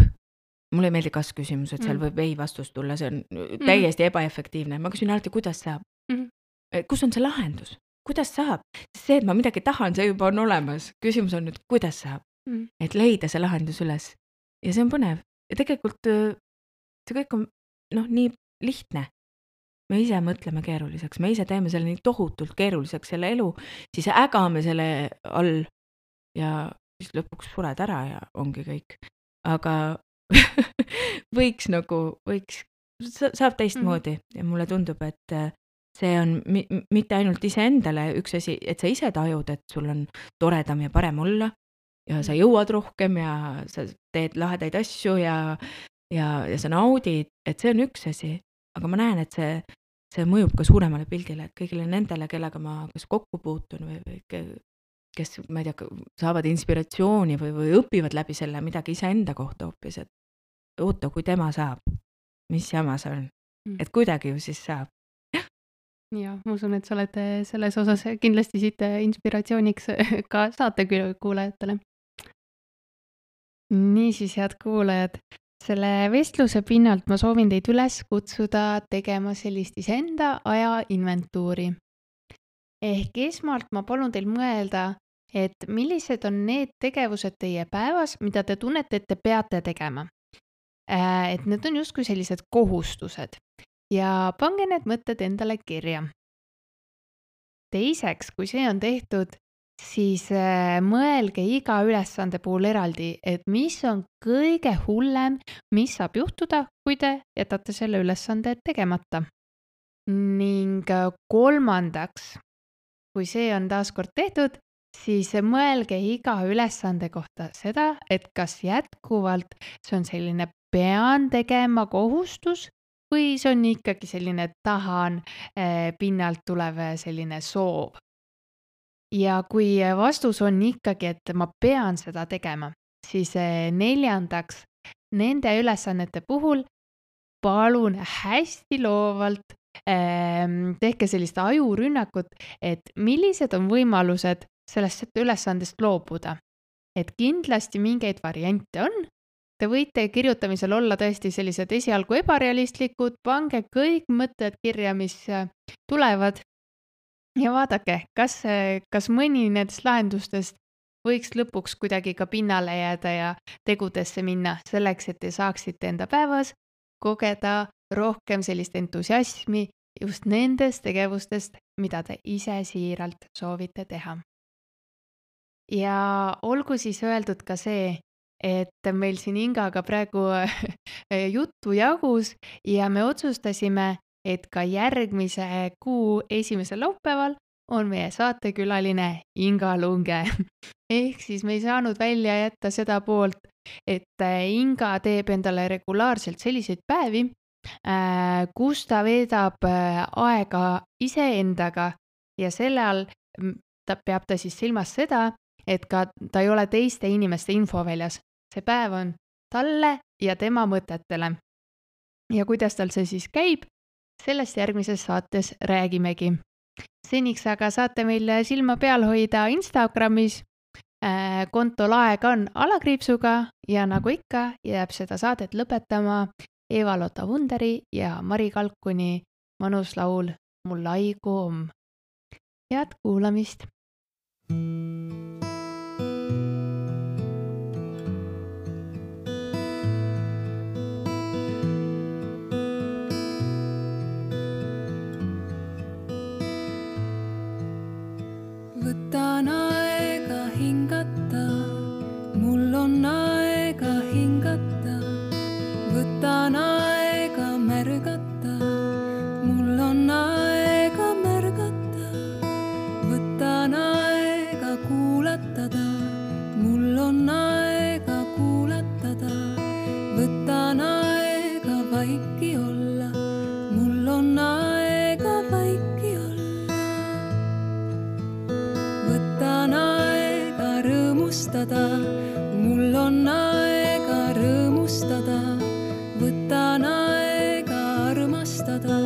Mulle ei meeldi kas küsimus, et seal võib ei vastus tulla, see on täiesti ebaefektiivne. Ma küsin alati, kuidas saab? Mm-hmm. Kus on see lahendus? Kuidas saab? See, et ma midagi tahan, see juba on olemas. Küsimus on nüüd, kuidas saab? Mm-hmm. Et leida see lahendus üles. Ja see on põnev. Ja tegelikult see kõik on noh, nii lihtne. Me ise mõtleme keeruliseks. Me ise teeme selle nii tohutult keeruliseks selle elu, siis ägame selle all ja siis lõpuks sured ära ja ongi kõik. Aga võiks nagu, võiks, saab teistmoodi ja mulle tundub, et see on mi- mitte ainult ise endale üks asi, et sa ise tajud, et sul on toredam ja parem olla ja sa jõuad rohkem ja sa teed lahedaid asju ja, ja, ja sa naudid, et see on üks asi, aga ma näen, et see, see mõjub ka suuremale pildile, et kõigile nendele, kellega ma kas kokku puutun või, või kes, ma ei tea, saavad inspiratsiooni või, või õpivad läbi selle midagi iseenda kohta hoopis, et oota, kui tema saab, mis jama see on, et kuidagi ju siis saab. Ja, ma usun, et sa oled selles osas kindlasti siit inspiratsiooniks ka saatekuulajatele. Niisiis, head kuulajad, selle vestluse pinnalt ma soovin teid üles kutsuda tegema sellist iseenda aja inventuuri. Ehk esmalt ma palun teil mõelda, et millised on need tegevused teie päevas, mida te tunnete, et te peate tegema. Et need on justkui sellised kohustused ja pange need mõtted endale kirja. Teiseks, kui see on tehtud, siis mõelge iga ülesande puhul eraldi, et mis on kõige hullem, mis saab juhtuda, kui te jätate selle ülesande tegemata. Ning kolmandaks, kui see on taaskord tehtud, siis mõelge iga ülesande kohta seda, et kas jätkuvalt see on selline pean tegema kohustus või see on ikkagi selline tahan pinnalt tulev selline soov. Ja kui vastus on ikkagi, et ma pean seda tegema, siis neljandaks, nende ülesannete puhul palun hästi loovalt tehke sellist ajurünnakut, et millised on võimalused sellest ülesandest loobuda. Et kindlasti mingeid variante on. Te võite kirjutamisel olla tõesti sellised esialgu ebarealistlikud, pange kõik mõtted kirja, mis tulevad ja vaadake, kas, kas mõni nendest lahendustest võiks lõpuks kuidagi ka pinnale jääda ja tegudesse minna selleks, et te saaksite enda päevas kogeda rohkem sellist entusiasmi just nendest tegevustest, mida te ise siiralt soovite teha. Ja olgu siis öeldud ka see, et meil siin Ingaga praegu juttu jagus ja me otsustasime, et ka järgmise kuu esimesel laupäeval on meie saatekülaline Inga Lunge. Ehk siis me ei saanud välja jätta seda poolt, et Inga teeb endale regulaarselt selliseid päevi, kus ta veedab aega iseendaga ja selle all ta peab ta siis silmas seda, et ka ta ei ole teiste inimeste infoväljas. See päev on talle ja tema mõtetele. Ja kuidas tal see siis käib, sellest järgmises saates räägimegi. Seniks aga saate meil silma peal hoida Instagramis. Kontol aeg on alakriipsuga ja nagu ikka jääb seda saadet lõpetama Eva-Lotta Wunderi ja Mari Kalkuni mõnus laul Mul aigu om. Head kuulamist! Võtan aega hingata, mul on aega hingata. Võtan aega märgata, mul on aega märgata. Võtan aega kuulatada, mul on aega kuulatada. Võtan aega vaiki olla, mul on aega vaiki olla. Võtan aega rõõmustada, mul on aega rõõmustada. Võtan aega armastada,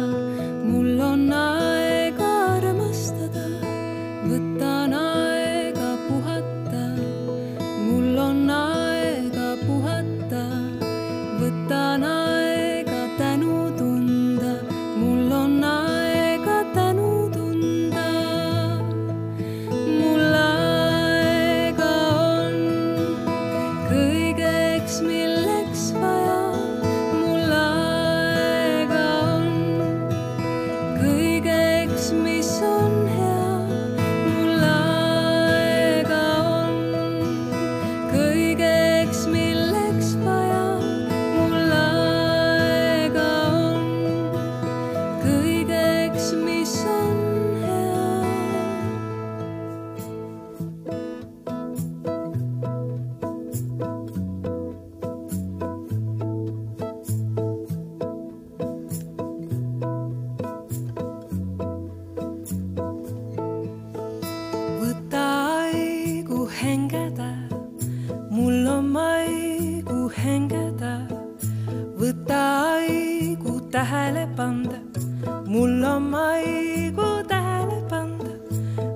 mul on aega armastada. Võtan aega puhata, mul on aega puhata. Võtan aega tänu tunda, mul on aega tänu tunda. Mul aega on, hengeda, võta aigu tähele panda, mul on aigu tähele panda,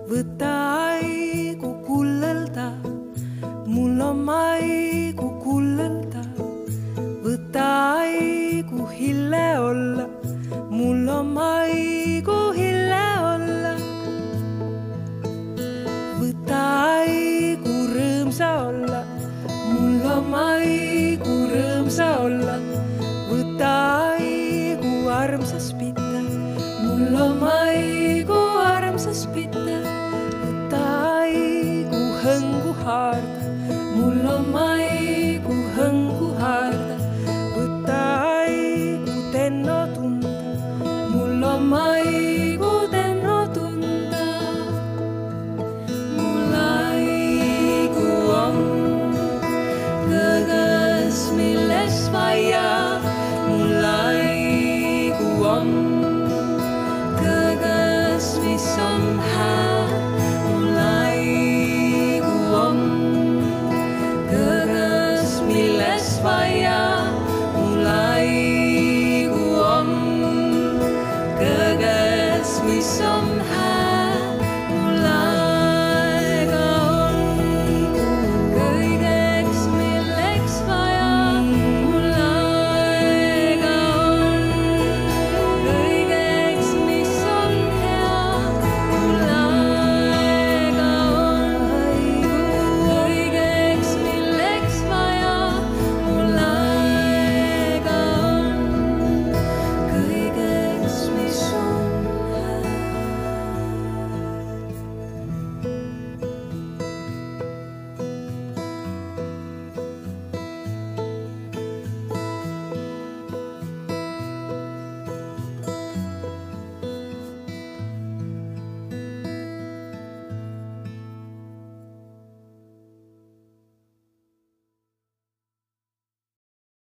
võta aigu kullelda, mul on aigu kullelda, võta aigu hille olla, mul on aigu hille olla, võta aigu rõõmsa olla, mul on aigu rõõmsa olla, võta aigu armsas pita, mul on aigu armsas pita, võta aigu hõngu haarda, mul on aigu hõngu haarda, võta aigu tenno tunda, mul on aigu tenno tunda, mul aigu on kõõges, milles vaia, mul aigu on kõõges, mis on hää, mul aigu on kõõges, milles vaia, mul aigu on kõõges, mis on